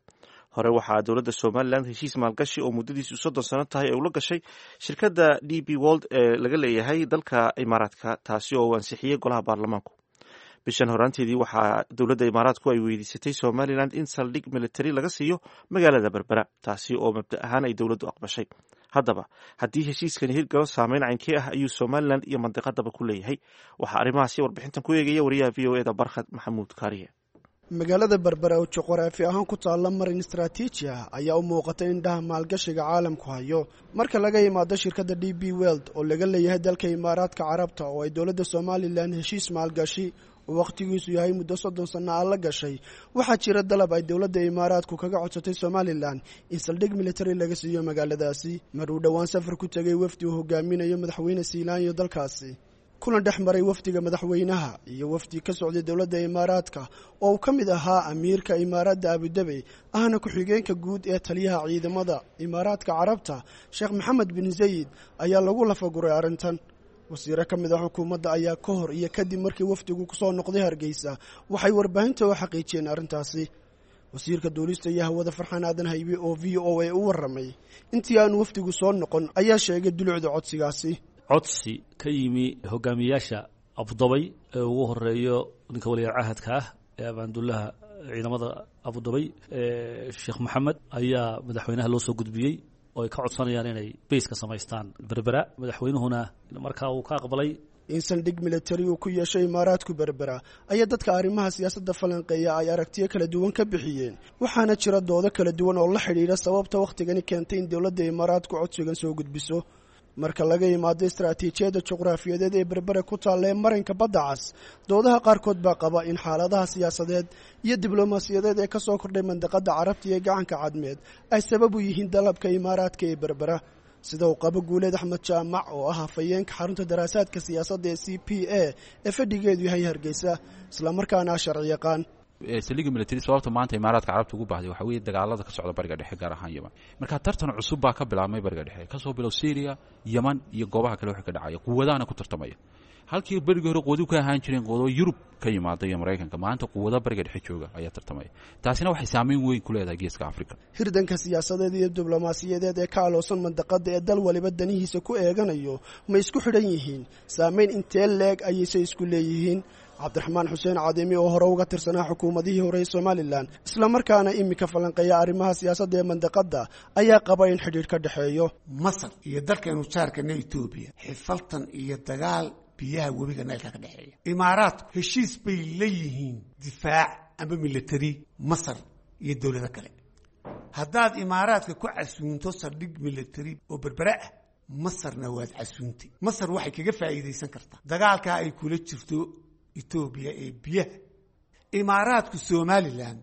Hore waxaa dowladda Somalilan heshiis maalgashi oo muddadiisu 30 sano tahay ay ula gashay shirkadda DP World ee laga leeyahay dalka Imaaraadka, taasi oo uu ansixiyey golaha baarlamaanku. Bishan horaanteedii waxaa dowladda Imaaraadku ay weydiisatay Somalilan in saldhig military laga siiyo magaalada Berbera, taasi oo mabda ahaan ay dowladdu aqbashay. Haddaba haddii heshiiskani hirgalo, saameyn caynkee ah ayuu Somalilan iyo mandiqadaba ku leeyahay? Waxaa arrimahaasi warbixintan ku eegaya wariyaha VOA da Barkhad Maxamuud Kaariye. Magaalada Berbera oo juqraafi ahaan ku taalla marin istaraatiiji ah ayaa u muuqata indhaha maalgashiga caalamku hayo. Marka laga yimaado shirkadda DP World oo laga leeyahay dalka Imaaraadka Carabta oo ay dowladda Somalilan heshiis maalgashi oo wakhtigiisu yahay muddo 30 sanno ah la gashay, waxaa jira dalab ay dowladda Imaaraadku kaga codsatay Somalilan in saldhig military laga siiyo magaaladaasi. Mar uu dhowaan safar ku tegay wafdi uu hogaaminayo madaxweyne Siilaanyo dalkaasi, kulan dhex maray wafdiga madaxweynaha iyo wafdi ka socday dowladda Imaaraadka oo uu ka mid ahaa amiirka Imaaradda Abudabey ahna ku-xigeenka guud ee taliyaha ciidamada Imaaraadka Carabta Sheekh Maxamed bin Zayid ayaa lagu lafaguray arrintan. Wasiiro ka mid ah xukuumadda ayaa ka hor iyo kadib markii wafdigu kusoo noqday Hargeysa waxay warbaahinta u xaqiijiyeen arrintaasi. Wasiirka duulista iyo hawada Farxaan Aadan Haybe oo VOA u warramay intii aanu wafdigu soo noqon ayaa sheegay dulucda codsigaasi. Codsi ka yimi hogaamiyayaasha Abudabay ee ugu horeeyo ninka waliyaal cahadka ah ee abaandullaha ciidamada Abudabay Sheekh Maxamed ayaa madaxweynaha loo soo gudbiyey oo ay ka codsanayaan inay bays ka samaystaan Berbera. Madaxweynuhuna markaa uu ka aqbalay. In saldhig militari uu ku yeeshay Imaaraadku Berbera ayaa dadka arrimaha siyaasadda falanqeeya ay aragtiyo kala duwan ka bixiyeen, waxaana jira doodo kala duwan oo la xidhiidha sababta wakhtigani keentay in dowladda Imaaraadku codsigan soo gudbiso. Marka laga yimaado istaraatiijiyadda juqraafiyadeed ee Berbera ku taalla ee marinka badda cas, doodaha qaarkood baa qaba in xaaladaha siyaasadeed iyo diblomaasiyadeed ee ka soo kordhay mandaqadda Carabta iyo gacanka Cadmeed ay sabab u yihiin dalabka Imaaraadka ee Berbera, sida uu qabo Guuleed Axmed Jaamac oo ah hafayeenka xarunta daraasaadka siyaasadda ee CPA ee fadhigeedu yahay Hargeysa, islamarkaana ah sharci yaqaan. Saldhigga military sababta maanta Imaaraadka Carabta ugu baahday waxaa weeye dagaalada ka socda Bariga Dhexe, gaar ahaan Yeman. Marka tartan cusub baa ka bilaabmay Bariga Dhexe, kasoo bilow Syria, Yeman iyo goobaha kale waxa ka dhacaya, quwadahana ku tartamaya. Halkii berigii hore quwadu ka ahaan jireen quwado Yurub ka yimaada iyo Maraykanka, maanta quwado bariga dhexe jooga ayaa tartamaya. Taasina waxay saameyn weyn ku leedahay Geeska Afrika. Hirdanka siyaasadeed iyo diblomaasiyadeed ee ka aloosan mandaqada ee dal waliba danihiisa ku eeganayo ma isku xidhan yihiin? Saameyn intee leeg ayayse isku leeyihiin? Cabdiraxmaan Xuseen Cadimi oo hore uga tirsanaa xukuumadihii hore ee Somalilan, islamarkaana iminka falanqeeya arrimaha siyaasadda ee mandaqadda, ayaa qaba in xidhiidh ka dhexeeyo. Masar iyo dalkaynu jaarkana Etoobiya xifaltan iyo dagaal biyaha webiga Naylka ka dhexeeya. Imaaraadku heshiis bay la yihiin difaac ama military Masar iyo dowlado kale. Haddaad Imaaraadka ku casuunto saldhig military oo Berbere ah, Masarna waad casuuntay. Masar waxay kaga faa'iidaysan kartaa dagaalkaa ay kula jirto Etoobiya ee biyaha. Imaaraadku Somalilan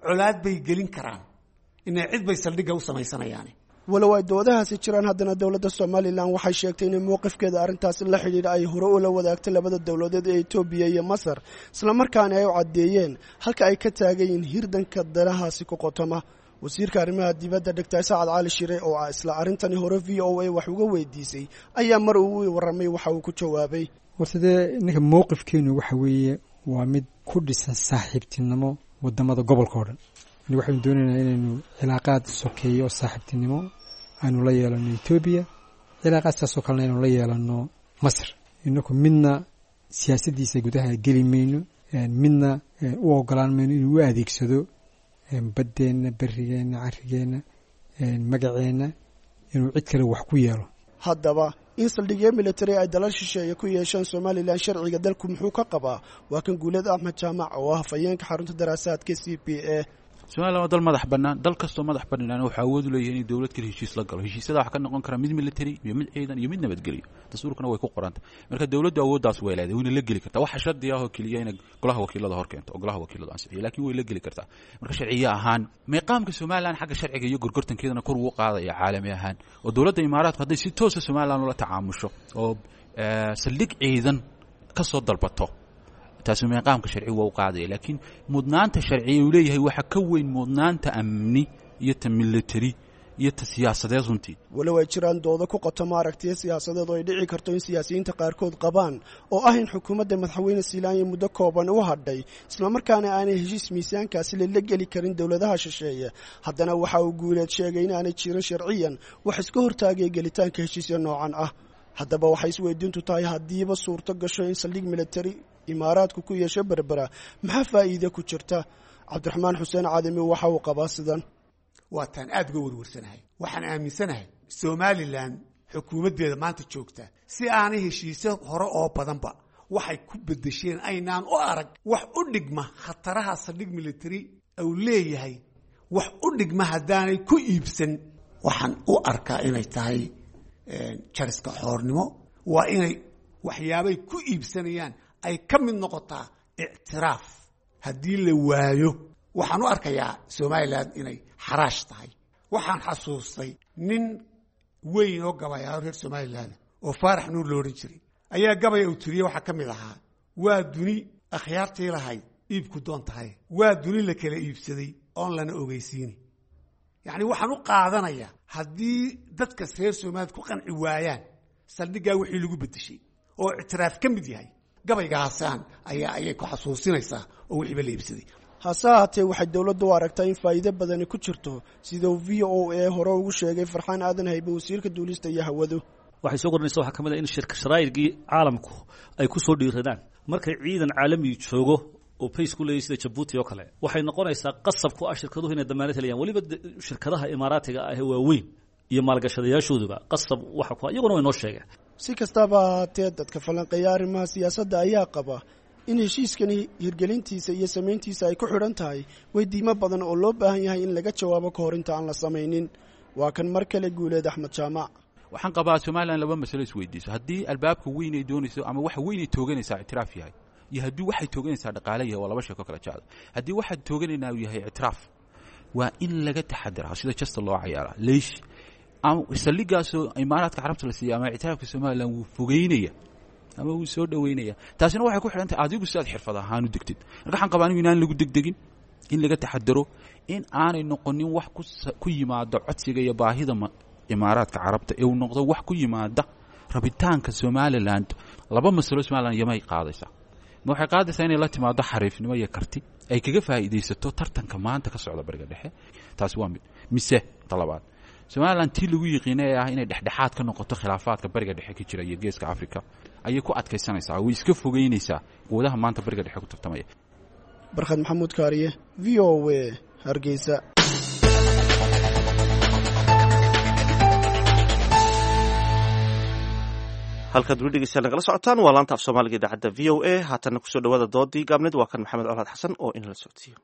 colaad bay gelin karaan, inay cid bay saldhigga u samaysanayaane. Walow ay doodahaasi jiraan, haddana dowladda Somalilan waxay sheegtay inay mowqifkeeda arrintaasi la xidhiidha ay hore ula wadaagtay labada dowladeed ee Etoobiya iyo Masar, islamarkaana ay u caddeeyeen halka ay ka taagan yihiin hirdanka danahaasi ku qotoma. Wasiirka arrimaha dibadda Doctor Sacad Cali Shire oo ah isla arrintani hore VOA wax uga weydiisay ayaa mar uu warramay waxa uu ku jawaabay: Horta dee ninka mowqifkeenu waxa weeye waa mid ku dhisan saaxiibtinimo wadamada gobolka oo dhan. Yani waxaynu doonaynaa inaynu cilaaqaad sokeeyo saaxiibtinimo aynu la yeelano Etoobiya, cilaaqaad saasoo kalena aynu la yeelano Masar. Inaku midna siyaasaddiisa gudaha geli mayno, midna u ogolaan mayno inuu u adeegsado baddeenna, berigeenna, carrigeenna, magaceenna inuu cid kale wax ku yeelo. Haddaba in saldhigyo military ay dalal shisheeye ku yeeshaan Somalilan, sharciga dalku muxuu ka qabaa? Waa kan Guuleed Axmed Jaamac oo ah hafayeenka xarunta daraasaadka CPA. Somalilan waa dal madax bannaan. Dal kastoo madax bannaan wuxuu awood u leeyahay inuu dowlad kale heshiis la galo. Heshiisyada waxa ka noqon kara mid military iyo mid ciidan iyo mid nabadgelyo, dastuurkana way ku qoranta. Marka dowladdu awooddaas way leedahay, wayna la geli kartaa. Waxa shardi ah oo keliya inay golaha wakiilada hor keento oo golaha wakiiladu ansixiyo, laakiin way la geli kartaa. Marka sharciye ahaan meeqaamka Somalilan xagga sharciga iyo gorgortankeedana kor ugu qaadaya caalami ahaan, oo dowladda Imaaraadku hadday si toosa Somalilan ula tacaamusho oo saldhig ciidan ka soo dalbato, taasi meeqaamka sharci waa u qaadaya. Laakiin mudnaanta sharciya uu leeyahay waxa ka weyn mudnaanta amni iyo ta military iyo ta siyaasadeed runtii. Walow ay jiraan doodo ku qotoma aragtiyo siyaasadeed oo ay dhici karto in siyaasiyiinta qaarkood qabaan oo ah in xukuumadda madaxweyne Siilaanya muddo kooban u hadhay, islamarkaana aanay heshiis miisaankaasi lala geli karin dowladaha shisheeye, haddana waxa uu Guuleed sheegay in aanay jirin sharciyan wax iska hortaagaya gelitaanka heshiisya noocan ah. Haddaba waxay isweydiintu tahay, haddiiba suurto gasho in saldhig military Imaaraadku ku yeesho Berbera, maxaa faa'iide ku jirta? Cabdiraxmaan Xuseen Cadami waxa uu qabaa sidan: Waataan aada uga warwarsanahay. Waxaan aaminsanahay Somalilan xukuumaddeeda maanta joogta si aanay heshiisyo hore oo badanba waxay ku bedesheen aynaan u arag wax u dhigma khataraha saldhig military uu leeyahay, wax u dhigma haddaanay ku iibsan. Waxaan u arkaa inay tahay jariska xoornimo. Waa inay waxyaabay ku iibsanayaan ay ka mid noqotaa ictiraaf. Haddii la waayo, waxaan u arkayaa Somalilan inay xaraash tahay. Waxaan xasuustay nin weyn oo gabayaalo reer Somalilan oo Faarax Nuur lo odhan jiray ayaa gabaya uu tiriyey waxaa ka mid ahaa: "Waa duni akhyaartii lahayd iibku doon tahay, waa duni la kala iibsaday oon lana ogeysiini." Yacni waxaan u qaadanayaa haddii dadkas reer Somaliland ku qanci waayaan saldhiggaa wixii lagu bedeshay oo ictiraaf ka mid yahay, gabaygaasaan ayaa ayay ku xasuusinaysaa oo wixiiba la iibsaday. Hase ahaatee waxay dowladdu u aragtaa in faa'iido badani ku jirto, sidau VOA hore ugu sheegay Farxaan Aadan Haybe, wasiirka duulista iyo hawadu. Waxay soo kordhinaysa waxaa ka mid ah in shirka sharaa'irkii caalamku ay ku soo dhiiradaan markay ciidan caalami joogo oo bays ku leeyahy sida Jabuuti oo kale. Waxay noqonaysaa qasab ku ah shirkaduhu inay damaanad helayaan, weliba shirkadaha Imaaraatiga ah ee waaweyn iyo maalgashadayaashooduba qasab waxa ku iyaguna way noo sheegeen. Si kastaba ahaatee, dadka falanqeeya arrimaha siyaasadda ayaa qaba in heshiiskani hirgelintiisa iyo samayntiisa ay ku xidhan tahay weydiimo badan oo loo baahan yahay in laga jawaabo ka hor inta aan la samaynin. Waa kan mar kale Guuleed Axmed Jaamac. Waxaan qabaa Somalilan laba masalo isweydiiso: haddii albaabka weyn ay doonayso ama waxa weyn ay tooganaysaa ictiraaf yahay, iyo haddii waxay tooganaysaa dhaqaale yahay, waa laba sheeko kala jecda. Haddii waxaad tooganaynaa uu yahay ictiraaf, waa in laga taxadiraa sida jasta loo cayaaraa. Leish saldhigaasoo Imaaraadka Carabta la siiya ama ictiraafka Somalilan wuu fogeynaya ama wuu soo dhoweynaya, taasina waxay ku xidhan tahay adigu si aad xirfad ahaan u degtid. Marka waxaan qabaa anigu inaan lagu degdegin, in laga taxadaro, in aanay noqonin wax ku yimaada codsiga iyo baahida Imaaraadka Carabta ee uu noqdo wax ku yimaada Rabitaanka Somaliland, laba masalo Somaliland yamay qaadaysaa. Ma waxay qaadaysaa inay la timaado xariifnimo iyo karti ay kaga faa'iidaysato tartanka maanta ka socda Bariga Dhexe? Taasi waa mid. Mise talabaad, Somaliland tii lagu yiqiinay ee ah inay dhexdhexaad ka noqoto khilaafaadka Bariga Dhexe ka jira iyo Geeska Africa ayay ku adkaysanaysaa, way iska fogeynaysaa quwadaha maanta Bariga Dhexe ku tartamaya? Barkhad Maxamuud Kaariye, VOA, Hargeysa. Halkaad weli dhegeystayaal nagala socotaan waa laanta af Soomaaliga idaacadda VOA. Haatanna kusoo dhawaada doodii gaabneed. Waa kan Maxamed Colaad Xasan oo inala socodsiiyo.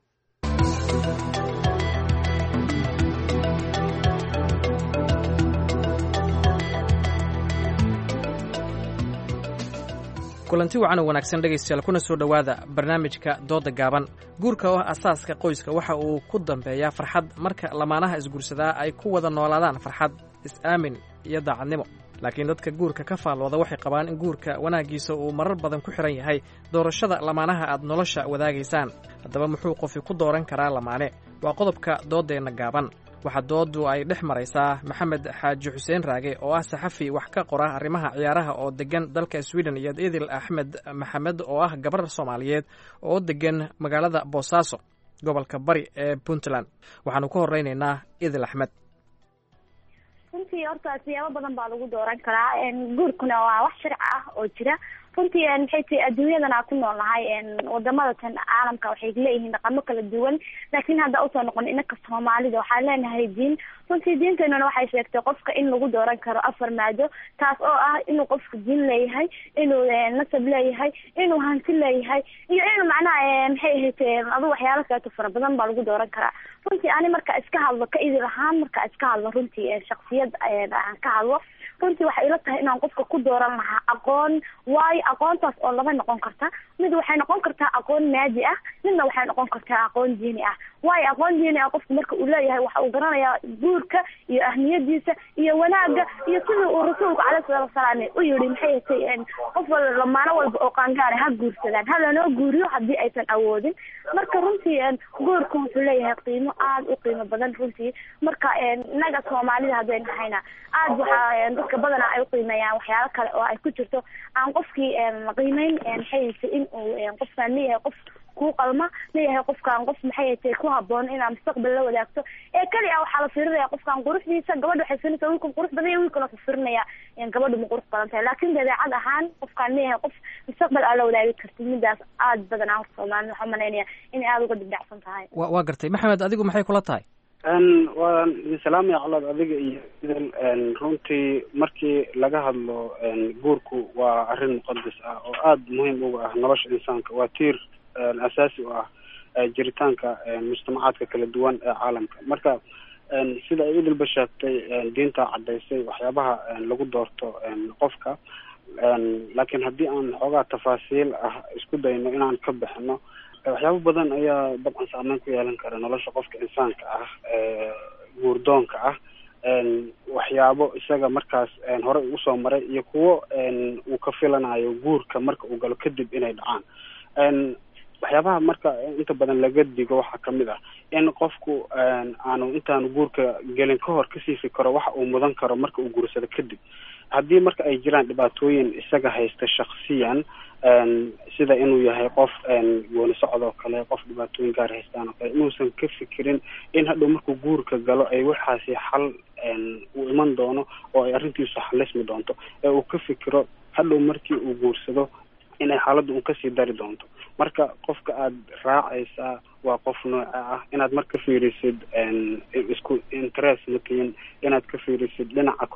Kulanti wacan oo wanaagsan dhegaystayaal, kuna soo dhowaada barnaamijka dooda gaaban. Guurka oo ah asaaska qoyska waxa uu ku dambeeyaa farxad marka lamaanaha isguursadaa ay ku wada noolaadaan farxad, is-aamin iyo daacadnimo. Laakiin dadka guurka ka faallooda waxay qabaan in guurka wanaaggiisa uu marar badan ku xidhan yahay doorashada lamaanaha aad nolosha wadaagaysaan. Haddaba muxuu qofi ku dooran karaa lamaane? Waa qodobka dooddeenna gaaban. Waxaa doodu ay dhex maraysaa Maxamed Xaaji Xuseen Raage oo ah saxafi wax ka qora arrimaha ciyaaraha oo degan dalka Sweden, iyo Idil Axmed Maxamed oo ah gabar Soomaaliyeed oo degan magaalada Boosaaso, gobolka Bari ee Puntland. Waxaanu ka horeynaynaa Idil Axmed. Runtii horta siyaabo badan baa lagu dooran karaa. Guurkuna waa wax sharci ah oo jira. Runtii maxay tahay, adduunyadan aan ku noolnahay, wadamada tan caalamka waxay leeyihiin dhaqamo kala duwan, laakiin hadda usoo noqon inaka Soomaalida waxaan leenahay diin. Runtii diinteenuna waxay sheegtay qofka in lagu dooran karo afar maado, taas oo ah inuu qofku diin leeyahay, inuu nasab leeyahay, inuu hanti leeyahay iyo inuu macnaha maxay ahayd adu waxyaalo kaleeto fara badan baa lagu dooran karaa. Runtii ani marka iska hadlo ka Idil ahaan, marka iska hadlo runtii shaksiyad aan ka hadlo, runtii waxay ila tahay inaan qofka ku dooran lahaa aqoon. Waayo, aqoontaas oo laba noqon karta: mid waxay noqon kartaa aqoon maadi ah, midna waxay noqon kartaa aqoon diini ah. Waayo, aqoon diini ah qofku marka uu leeyahay waxa uu garanayaa guurka iyo ahmiyadiisa iyo wanaagga iyo sidii uu rasuulku caleyhi salaatu wasalaam u yidhi, maxay hatay, qof wal lamaano walba oo qaangaara ha guursadaan, ha lanoo guuriyo haddii aysan awoodin. Marka runtii guurku wuxuu leeyahay qiimo aada u qiimo badan. Runtii marka innaga Soomaalida hadday nahayna aada waxaa dadka badanaa ay uqiimeeyaan waxyaalo kale oo ay ku jirto aan qofkii qiimeyn, maxay hatay, in uu qofkaan leeyahay qof kuu qalma leeyahay, qofkaan qof maxay hatay ku haboon inaad mustaqbal la wadaagto. Ee keli ah waxaa la fiirinaya qofkaan quruxdiisa. Gabadha waxay fiirinaysaa wiilkan qurux badan iyo wiilkan wuxuu fiirinaya gabadhu ma qurux badan tahay, laakiin dabeecad ahaan qofkaan leeyahay qof mustaqbal aad la wadaagi kartid, midaas aada badanaa horta Soomaalida waxaa umalaynaya inay aada uga dibdhacsan tahay. Waa gartay. Maxamed, adigu maxay kula tahay? Waan idin salaamaya Colaad, adiga iyo Idil. Runtii markii laga hadlo guurku waa arrin muqadas ah oo aada muhiim uga ah nolosha insaanka, waa tiir asaasi u ah jiritaanka mujtamacaadka kala duwan ee caalamka. Marka sida ay Idilba sheegtay, diinta caddaysay waxyaabaha lagu doorto qofka, laakiin haddii aan xoogaa tafaasiil ah isku dayno inaan ka bixino, waxyaabo badan ayaa dabcan saameyn ku yeelan kara nolosha qofka insaanka ah guurdoonka ah, waxyaabo isaga markaas horey usoo maray iyo kuwo uu ka filanayo guurka marka uu galo kadib inay dhacaan. Waxyaabaha marka inta badan laga digo waxaa kamid ah in qofku aanu intaanu guurka gelin ka hor kasii fikero waxa uu mudan karo marka uu guursado kadib, haddii marka ay jiraan dhibaatooyin isaga haysta shaksiyan, sida inuu yahay qof gooni socod oo kale, qof dhibaatooyin gaar haystaan oo kale, inuusan ka fikirin in hadhow markuu guurka galo ay waxaasi xal uu iman doono oo ay arrintiisu xalismi doonto, ee uu ka fikiro hadhow markii uu guursado inay xaaladdu un kasii dari doonto. Marka qofka aad raacaysaa waa qof nooca ah, inaad marka fiirisid isku interest matiin, inaad ka fiirisid dhinaca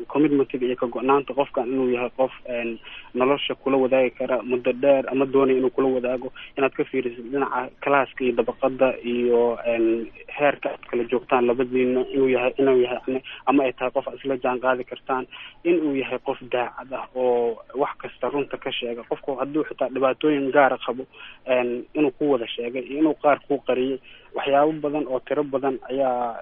commitmentiga iyo ka go-naanta qofkan inuu yahay qof nolosha kula wadaagi kara muddo dheer ama doonaya inuu kula wadaago, inaad ka fiirisid dhinaca classka iyo dabaqada iyo heerka aad kala joogtaan labadiina, inuu yahay ama ay tahay qof aad isla jaan qaadi kartaan, inuu yahay qof daacad ah oo wax kasta runta ka sheega. Qofku hadduu xitaa dhibaatooyin gaara qabo inuu ku wada sheegay iyo inuu qaar ku qariyay, waxyaabo badan oo tiro badan ayaa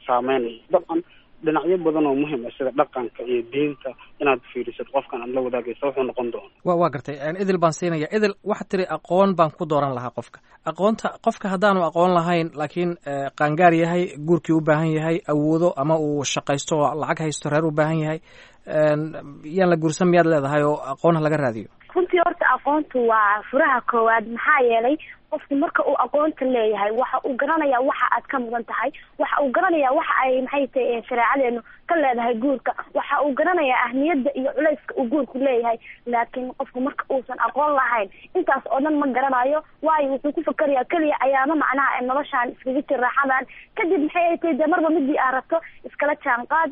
saameynaya. Dabcan dhinacyo badan oo muhiim ah sida dhaqanka iyo diinta inaad fiirisid qofkan aad la wadaagaysa wuxuu noqon doono. Waa gartay. Idil baan siinaya. Idil, waxaad tiri aqoon baan ku dooran lahaa qofka. Aqoonta qofka haddaanu aqoon lahayn laakiin qaangaar yahay, guurkii u baahan yahay, awoodo ama uu shaqaysto oo lacag haysto, reer u baahan yahay, Yaan la guursan miyaad leedahay oo aqoon ha laga raadiyo? Runtii horta aqoontu waa furaha koowaad, maxaa yeelay qofku marka uu aqoonta leeyahay waxa uu garanayaa waxa aad ka mudan tahay, waxa uu garanayaa waxa ay maxay tahay shareecadeenu ka leedahay guurka, waxa uu garanayaa ahmiyadda iyo culayska uu guurku leeyahay. Laakiin qofku marka uusan aqoon lahayn intaas oo dhan ma garanayo, waayo wuxuu ku fakerayaa keliya ayaama macnaha noloshaan iskaga jir raaxadan, kadib maxay ay tahay dee marba midii aad rabto iskala jaan qaad,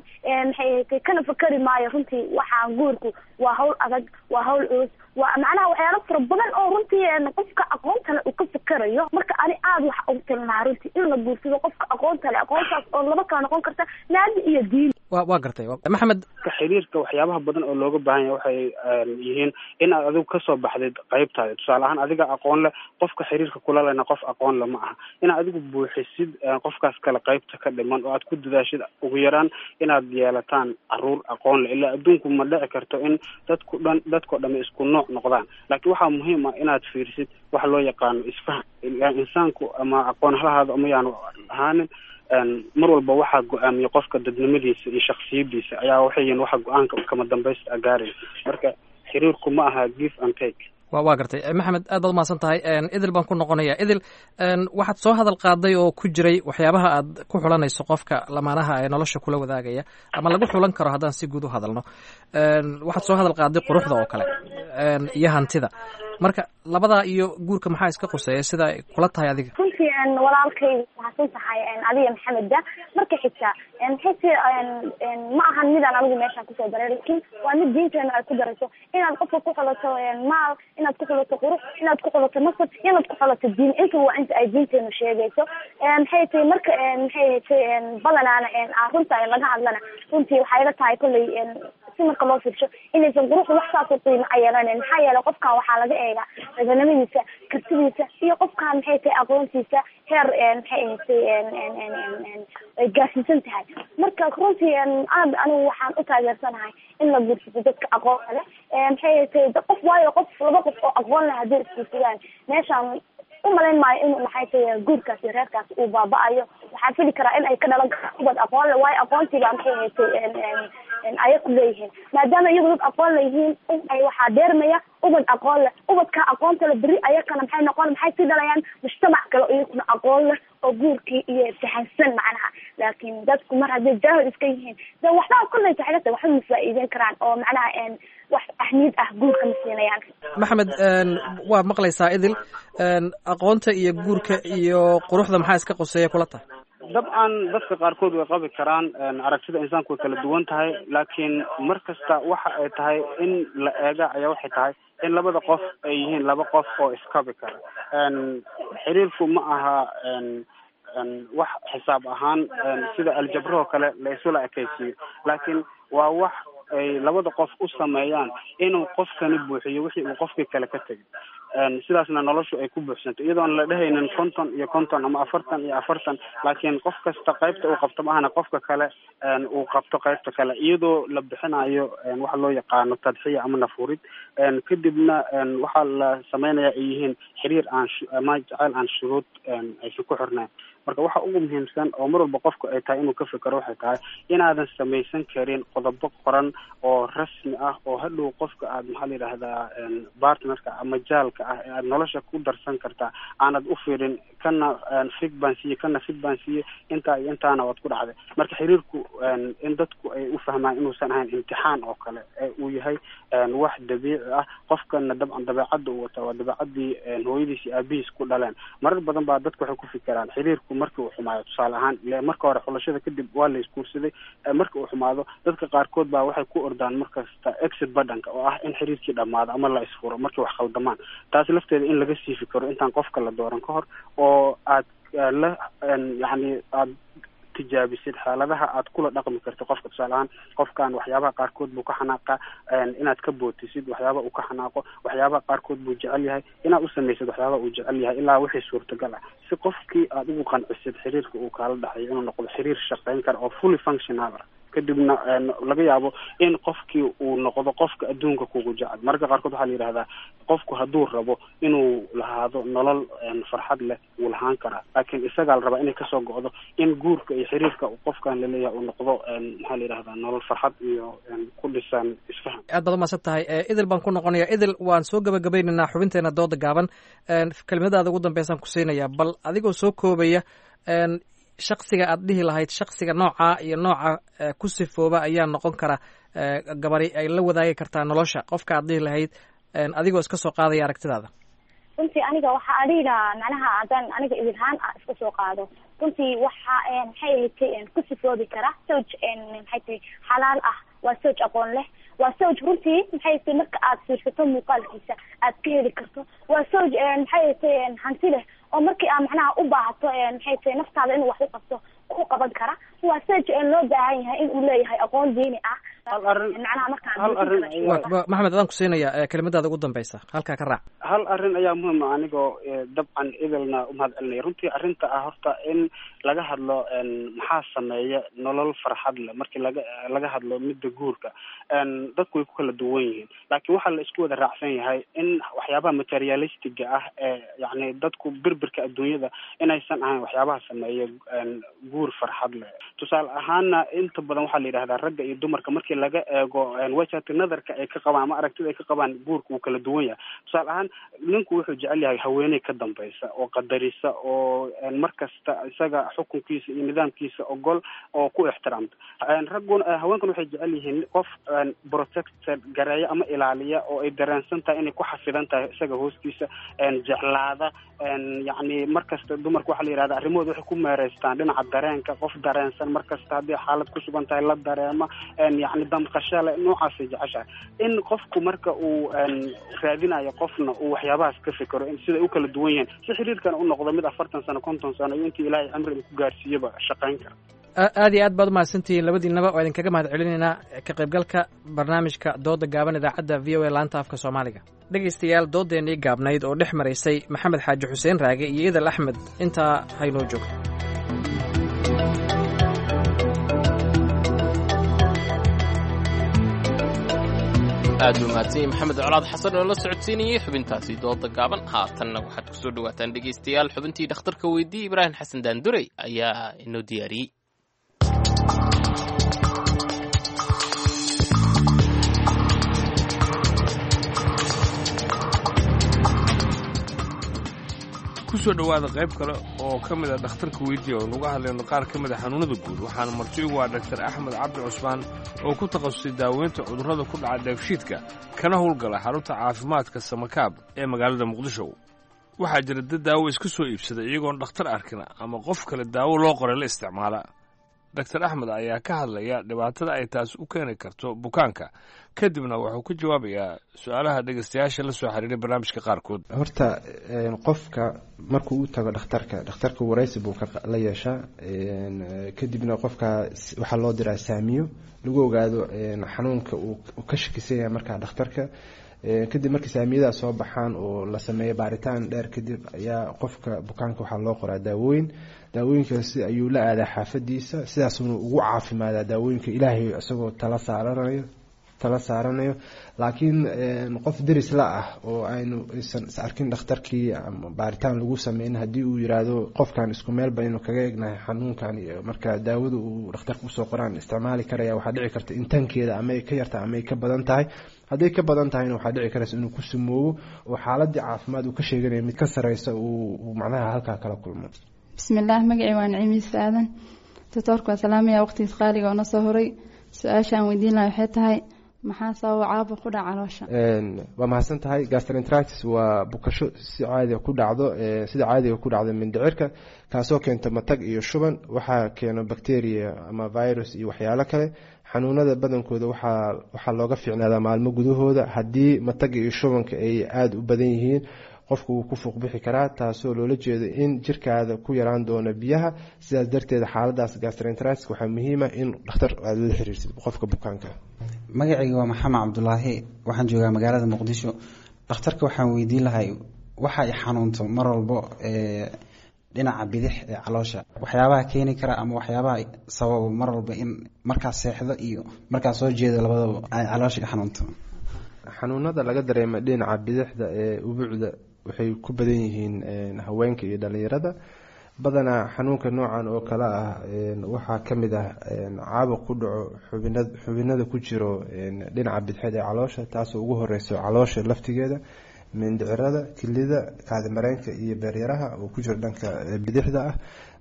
maxay ay tahay kana fakeri maayo. Runtii waxaan guurku waa hawl adag, waa hawl culus, waa macnaha waxyaalo fara badan oo runtii qofka aqoonta le uu ka fikerayo. Marka ani aada waxa ugu talin lahaa runtii in la guursado qofka aqoonta le, aqoontaas oo laba kala noqon karta naadi iyo diin. Waa gartay, Maxamed. Xiriirka waxyaabaha badan oo looga baahan yahay waxay yihiin in aad adigu kasoo baxdid qaybtaada. Tusaale ahaan, adiga aqoon leh, qofka xiriirka kula lehna qof aqoon le ma aha. Inaad adigu buuxisid qofkaas kale qaybta ka dhiman oo aad ku dadaashid ugu yaraan inaad yeelataan caruur aqoon leh. Ilaa adduunku ma dhici karto in dadku dhan dadkao dhami isku nooc noqdaan, laakiin waxaa muhiim ah inaad fiirisid waxa loo yaqaano isfaham. Insaanku ama aqoon halahaada ama yaanu ahaanin, mar walba waxaa go-aamiya qofka dadnimadiisa iyo shaksiyadiisa ayaa waxay yihiin waxa go-aanka kama dambaysta gaaraya. Marka xiriirku ma aha give and take. Waa gartay, Maxamed, aad baad umahadsan tahay. Idil baan ku noqonaya. Idil, waxaad soo hadal qaaday oo ku jiray waxyaabaha aad ku xulanayso qofka lamaanaha ee nolosha kula wadaagaya ama lagu xulan karo haddaan si guud u hadalno, waxaad soo hadal qaaday quruxda oo kale iyo hantida. Marka labadaa iyo guurka maxaa iska quseeya sida ay kula tahay adiga? Runtii walaalkay, mahadsan tahay adiga Maxameda. Marka xigta maxay ma ahan midaan anigu meeshaan kusoo daray, laakiin waa mid diinteena ay ku darayso inaad qofka ku xulato maal, inaad ku xulato qurux, inaad ku xulato nasab, inaad ku xulato diin. Inta waa inta ay diinteenu sheegayso. Maxay tahay marka maxay tahay badanaana runta laga hadlana, runtii waxay la tahay kolley si marka loo fiirsho inaysan quruxda wax saas u qiimo a yeelanayn, maxaa yeelay qofkan waxaa laga eegaa raganimadiisa, kartidiisa iyo qofkan maxay tahay aqoontiisa heer maxay ahayd ay gaarsiisan tahay. Marka runtii aad anigu waxaan u taageersanahay in la guursado dadka aqoonta leh, maxay ahayd qof, waayo qof laba qof oo aqoon leh hadday isguursadaan meeshaan umalayn maayo inuu maxay tahay guurkaas iyo reerkaas uu baaba-ayo. Waxaa fili karaa in ay ka dhalan karaan ubad aqoon leh, waayo aqoontiibaa maxay ahayd ayaku leeyihiin. Maadaama iyagu dad aqoon leyihiin, waxaa deermaya ubad aqoon leh. Ubadka aqoonta leh beri ayakana maxay noqon, maxay sii dhalayaan mujtamac kale oo iyakuna aqoon leh oo guurkii iyo fahansan macnaha. Laakiin dadku mar hadday jaahil iska yihiin de waxbaa kolley taxilata waxba ma faa'iideyn karaan oo macnaha wax ahmiyad ah guurka ma siinayaan. Maxamed, waa maqlaysaa Idil, aqoonta iyo guurka iyo quruxda maxaa iska quseeya kula tahay? Dabcan dadka qaarkood way qabi karaan, aragtida insaanku way kala duwan tahay, laakiin mar kasta waxa ay tahay in la eega ayaa waxay tahay in labada qof ay yihiin laba qof oo iskabi kara. Xiriirku ma aha wax xisaab ahaan sida aljabrahoo kale la isula ekaysiiyo, laakiin waa wax ay labada qof u sameeyaan inuu qofkani buuxiyo wixii uu qofkii kale ka tegay, sidaasna noloshu ay ku buuxsanto, iyadoon la dhehaynin 50 iyo 50 ama 40 iyo 40, laakiin qof kasta qaybta uu qabto maahana qofka kale uu qabto qaybta kale, iyadoo la bixinayo waxa loo yaqaano tadxiya ama nafurid. Kadibna waxaa la sameynaya ay yihiin xiriir aan ama jaceyl aan shuruud aysan ku xirnayn. Marka waxa ugu muhiimsan oo mar walba qofku ay tahay inuu ka fikero waxay tahay inaadan samaysan karin qodobo qoran oo rasmi ah oo hadhow qofka aad maxaa la yidhaahdaa partnerka ama jaalka ah ee aad nolosha ku darsan kartaa aanad u fiirin kana fig baan siiye, kana fig baan siiye, intaa iyo intaana waad ku dhacday. Marka xiriirku in dadku ay u fahmaan inuusan ahayn imtixaan oo kale ee uu yahay wax dabiici ah. Qofkana dabcan dabeecadda uu wataa waa dabeecaddii hooyadiis iyo aabihiis ku dhaleen. Marar badan baa dadku waxay ku fikiraan xiriirku markii uu xumaayo, tusaale ahaan ile marka hore xulashada kadib waa la isguursaday, marka uu xumaado dadka qaarkood baa waxay ku ordaan markasta exit badhanka oo ah in xiriirkii dhammaado ama la isfuro markay wax khaldamaan. Taas lafteeda in laga sii fikiro intaan qofka la dooran ka hor oo aad la yacni aad tijaabisid xaaladaha aad kula dhaqmi karto qofka. Tusaale ahaan, qofkan waxyaabaha qaarkood buu ka xanaaqa, inaad ka bootisid waxyaabaha uu ka xanaaqo, waxyaabaha qaarkood buu jecel yahay, inaad u samaysid waxyaabaha uu jecel yahay ilaa wixii suurtagal ah, si qofkii aad ugu qancisid xiriirka uu kaala dhaxayo inuu noqdo xiriir shaqayn kara oo fully functional ah. Kadibna laga yaabo in qofkii uu noqdo qofka adduunka kugu jecel. Mararka qaarkood waxaa la yidhahdaa Qofku hadduu rabo inuu lahaado nolol farxad leh wuu lahaan karaa, laakiin isagaa la rabaa inay kasoo go'do in guurka iyo xiriirka qofkan laleeyahay uu noqdo, maxaa la yidhahdaa, nolol farxad iyo ku dhisan isfaham. Aad baad umahadsan tahay. Idil baan ku noqonaya. Idil, waan soo gabagabaynaynaa xubinteena dooda gaaban. Kelimadaada ugu dambeysaan ku siinayaa, bal adigoo soo koobaya, shaksiga aad dhihi lahayd shaksiga noocaa iyo nooca ku sifooba ayaa noqon kara gabari ay la wadaagi kartaa nolosha, qofka aad dhihi lahayd, adigoo iska soo qaadaya aragtidaada. Runtii aniga waxaa adhihi lahaa, macnaha haddaan aniga idilhaan ah iska soo qaado, runtii waxa maxay ahayd ku sifoobi kara sawj maxay tahay xalaal ah, waa sawj aqoon leh, waa sawj runtii maxay tahay marka aad fiirsato muuqaalkiisa aad ka heli karto, waa sawj maxay tahay hanti leh oo markii aad macnaha u baahato maxay tahay naftaada inuu wax u qabto ku qaban kara, waa sawj loo baahan yahay in uu leeyahay aqoon diini ah. Macnaha markaan Maxamed, adaan ku siinaya kelimadaada ugu dambeysa, halkaa ka raac. Hal arrin ayaa muhiim ah, anigoo dabcan idilna umahad celinaya. Runtii arrinta ah horta in laga hadlo maxaa sameeya nolol farxad leh, markii laga hadlo midda guurka, dadku way ku kala duwan yihiin, laakiin waxaa la isku wada raacsan yahay in waxyaabaha materialistiga ah ee yacni dadku birbirka adduunyada inaysan ahayn waxyaabaha sameeya guur farxad leh. Tusaale ahaana, inta badan waxaa la yidhahdaa ragga iyo dumarka markii laga eego wajhati nadarka ay ka qabaan ama aragtida ay ka qabaan guurka wuu kala duwan yahay. Tusaale ahaan, ninku wuxuu jecel yahay haweeney ka dambaysa oo qadarisa oo mar kasta isaga xukunkiisa iyo nidaamkiisa ogol oo ku ixtiraamta. Ragguna, haweenkuna waxay jecel yihiin qof protected gareeya ama ilaaliya oo ay dareensan tahay inay ku xafidan tahay isaga hoostiisa, jeclaada. Yacni mar kasta dumarka waxaa la yidhahda arrimahooda waxay ku meereystaan dhinaca dareenka, qof dareensan mar kasta haddii xaalad ku sugan tahay la dareema, yacni damqasho le, noocaasay jeceshahay. In qofku marka uu raadinayo qofna uu waxyaabahaas ka fikero in siday u kala duwan yihiin, si xiriirkan u noqdo mid 40 sano, 50 sano iyo intii Ilaahay cimri ku gaarsiiyaba shaqayn kara. Aad iyo aad baad umahadsantihiin labadiinaba, waa idinkaga mahad celinaynaa ka qaybgalka barnaamijka dooda gaaban idaacadda VOA laanta afka Soomaaliga. Dhegaystayaal, doodeennii gaabnayd oo dhex maraysay Maxamed Xaaji Xuseen Raage iyo Idal Axmed intaa haynoo joogto. Aad buu mahadsan yahay Maxamed Colaad Xasan oo la socodsiinayay xubintaasi dooda gaaban. Haatanna waxaad kusoo dhawaataan dhegaystayaal xubintii dhakhtarka weydii. Ibraahim Xasan Daandurey ayaa inoo diyaariyey. Kusoo dhowaada qayb kale oo ka mid a dhakhtarka weydiiya oo nuga hadlayno qaar ka mid a xanuunada guud. Waxaana marti ugu ah Dhaktar Axmed Cabdi Cusmaan oo ku takhasusay daaweynta cudurrada ku dhaca dheefshiidka, kana howlgala xarunta caafimaadka Samakaab ee magaalada Muqdisho. Waxaa jira dad daawo iska soo iibsada iyagoon dhakhtar arkin ama qof kale daawo loo qoray la isticmaala. Dhaktar Axmed ayaa ka hadlaya dhibaatada ay taas u keeni karto bukaanka, kadibna wuxuu ka jawaabayaa su-aalaha dhegaystayaasha la soo xiriiray barnaamijka qaarkood. Horta qofka markuu u tago dhakhtarka, dhakhtarka waraysi buu la yeeshaa, kadibna qofka waxaa loo diraa saamiyo lagu ogaado xanuunka uu ka shakisan yahay markaa dhakhtarka. Kadib markii saamiyadaas soo baxaan oo la sameeyo baaritaan dheer kadib, ayaa qofka bukaanka waxaa loo qoraa daawooyin. Daawooyinkaasi ayuu la aadaa xaafadiisa, sidaasuna ugu caafimaadaa daawooyinka Ilaahay isagoo tala saaranayo. Laakiin qof deris la ah oo aynu aysan is arkin dhakhtarkii ama baaritaan lagu sameyn, haddii uu yiraahdo qofkan isku meel baynu kaga egnahay xanuunkan iyo marka daawada uu dhakhtarka usoo qoraan isticmaali karaya, waxaa dhici karta in tankeeda ama ay ka yartahay ama ay ka badan tahay. Hadday ka badan tahayna, waxaa dhici karaysa inuu ku sumoobo oo xaaladii caafimaad uu ka sheeganayo mid ka sareysa uu macnaha halkaa kala kulmo. Bismillaah, magacii waa Naciimiis Aadan. Doctoorka waa salaamaya, waqtigiis qaaliga oo na soo horay. Su-aasha aan weydiin lahaa waxay tahay, maxaa sababa caabuq ku dhaca caloosha? Waa mahadsan tahay. Gastroenteritis waa bukasho si caadiga ku dhacdo, sida caadiga ku dhacdo mindhicirka, kaasoo keento matag iyo shuban. Waxaa keeno bacteria ama virus iyo waxyaalo kale. Xanuunada badankooda waxaa looga fiicnaadaa maalmo gudahooda. Haddii mataga iyo shubanka ay aada u badan yihiin, qofku wuu ku fuuq bixi karaa, taasoo loola jeedo in jirkaada ku yaraan doono biyaha. Sidaas darteed xaaladaas gastroenteritis waxaa muhiima in dhakhtar aada la xiriirsid qofka bukaanka. Magacayga waa Maxamed Cabdulaahi, waxaan joogaa magaalada Muqdisho. Dhakhtarka waxaan weydiin lahay, waxa ay xanuunto mar walbo dhinaca bidix ee caloosha, waxyaabaha keeni kara ama waxyaabaha sababa mar walba in markaas seexdo iyo markaas soo jeedo labadaba ay caloosha i xanuunto. Xanuunada laga dareemo dhinaca bidixda ee ubucda waxay ku badan yihiin haweenka iyo dhalinyarada. Badanaa xanuunka noocan oo kale ah waxaa kamid ah caabuq ku dhaco xubinada ku jiro dhinaca bidixeed ee caloosha, taasoo ugu horeyso caloosha laftigeeda, mindhicirada, kilida, kaadimareenka iyo beeryaraha oo ku jiro dhanka bidixda ah.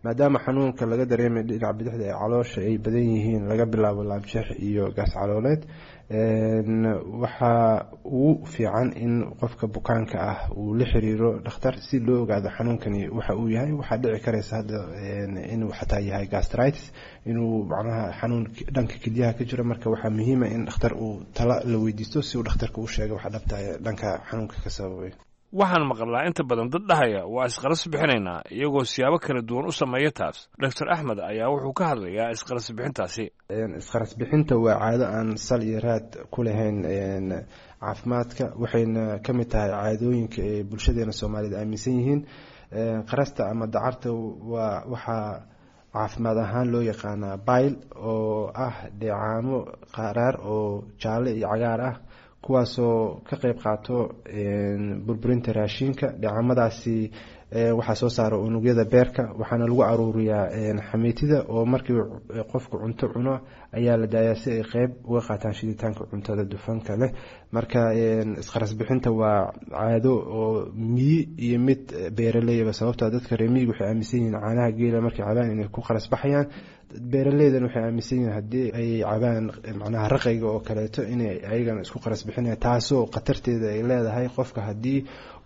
Maadaama xanuunka laga dareemay dhinaca bidixda ee caloosha ay badan yihiin laga bilaabo laabjeex iyo gaas calooleed, waxaa ugu fiican in qofka bukaanka ah uu la xiriiro dhakhtar si loo ogaado xanuunkani waxa uu yahay. Waxaa dhici kareysa hadda inuu xataa yahay gastritis, inuu macnaha xanuun dhanka kelyaha ka jiro. Marka waxaa muhiima in dhakhtar uu tala la weydiisto si uu dhakhtarka u sheego waxa dhabta dhanka xanuunka ka sababay. Waxaan maqlaa inta badan dad dhahaya waa isqaras bixinaynaa, iyagoo siyaabo kala duwan u sameeya taas. Doctor Axmed ayaa wuxuu ka hadlayaa isqaras bixintaasi. Isqaras bixinta waa caado aan sal iyo raad ku lahayn caafimaadka, waxayna ka mid tahay caadooyinka ay bulshadeena Soomaaliyeed aaminsan yihiin. Qarasta ama dacarta waa waxaa caafimaad ahaan loo yaqaanaa bile, oo ah dheecaamo qaraar oo jaalle iyo cagaar ah, kuwaasoo ka qeyb qaato burburinta raashinka. Dheecaamadaasi waxaa soo saara unugyada beerka, waxaana lagu aruuriyaa xamiitida, oo markii qofku cunto cuno ayaa la daayaa si ay qeyb uga qaataan shiditaanka cuntada dufanka leh. Marka isqaras bixinta waa caado oo miyi iyo mid beeraleyba, sababtoo dadka reer miyiga waxay aaminsan yihiin caanaha geela markay cabaan inay ku qaras baxayaan. Beeraleydan waxay aaminsan yihiin haddii ay cabaan macnaha raqayga oo kaleeto inay ayagana isku qaras bixinayaan, taasoo khatarteeda ay leedahay qofka haddii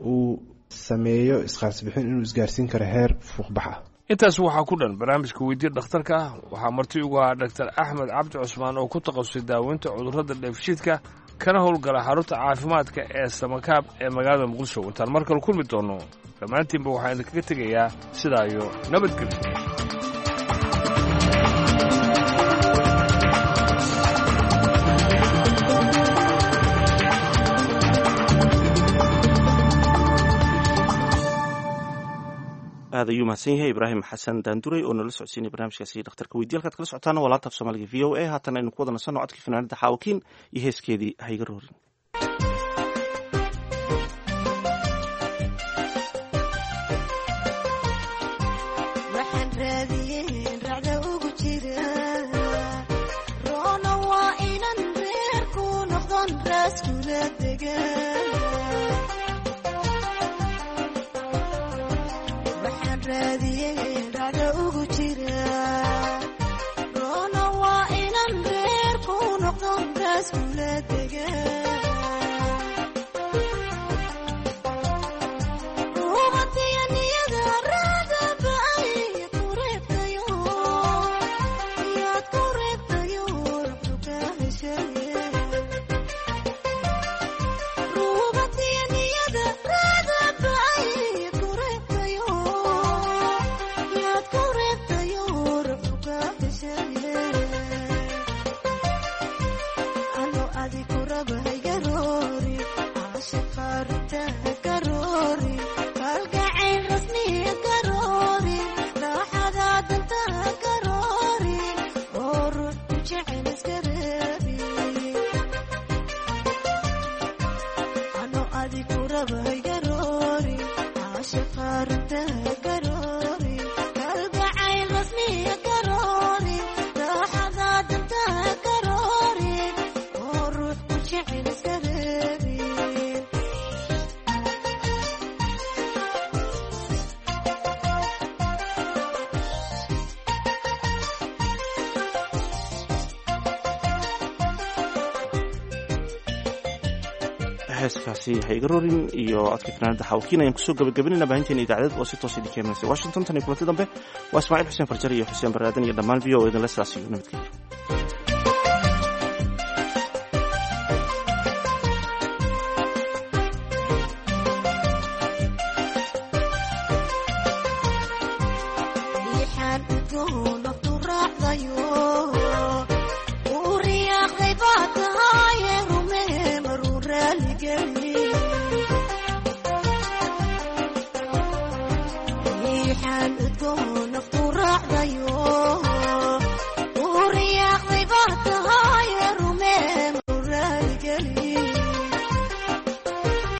uu sameeyo isqaras bixin inuu isgaarsiin karo heer fuuqbax ah. Intaas waxaa ku dhan barnaamijka weydiya dhakhtarka. Waxaa marti ugu ahaa Dhaktar Axmed Cabdi Cusmaan oo ku takhasusay daaweynta cudurrada dheefshiidka, kana howlgala xarunta caafimaadka ee Samakaab ee magaalada Muqdisho. Intaan mar kale kulmi doono, dhammaantiinba waxaan idinkaga tegayaa sidaa iyo nabadgelyo. Aad ayuu mahadsan yahay Ibraahim Xasan Daanduray oo nala socodsiinay barnaamijkaasi dhakhtarka weydiya. Halkaad kala socotaana waa laanta af Soomaaliga v o a. Haatan aynu ku wada nasanno codkii fanaanada Xaawakiin iyo heeskeedii Hayga Roorin. Heeskaasi Hayga Rorin iyo codka fanaanada Xawkiin ayaan kusoo gabagabanayna baahinteena idaacadeed oo si toos idinka imanaysa Washington. Tan iyo kulanti dambe, waa Ismaaciil Xuseen Farjar iyo Xuseen Baraadan iyo dhammaan v o idinle sidaas iyo nabadgelyo. Riixaan udgoon.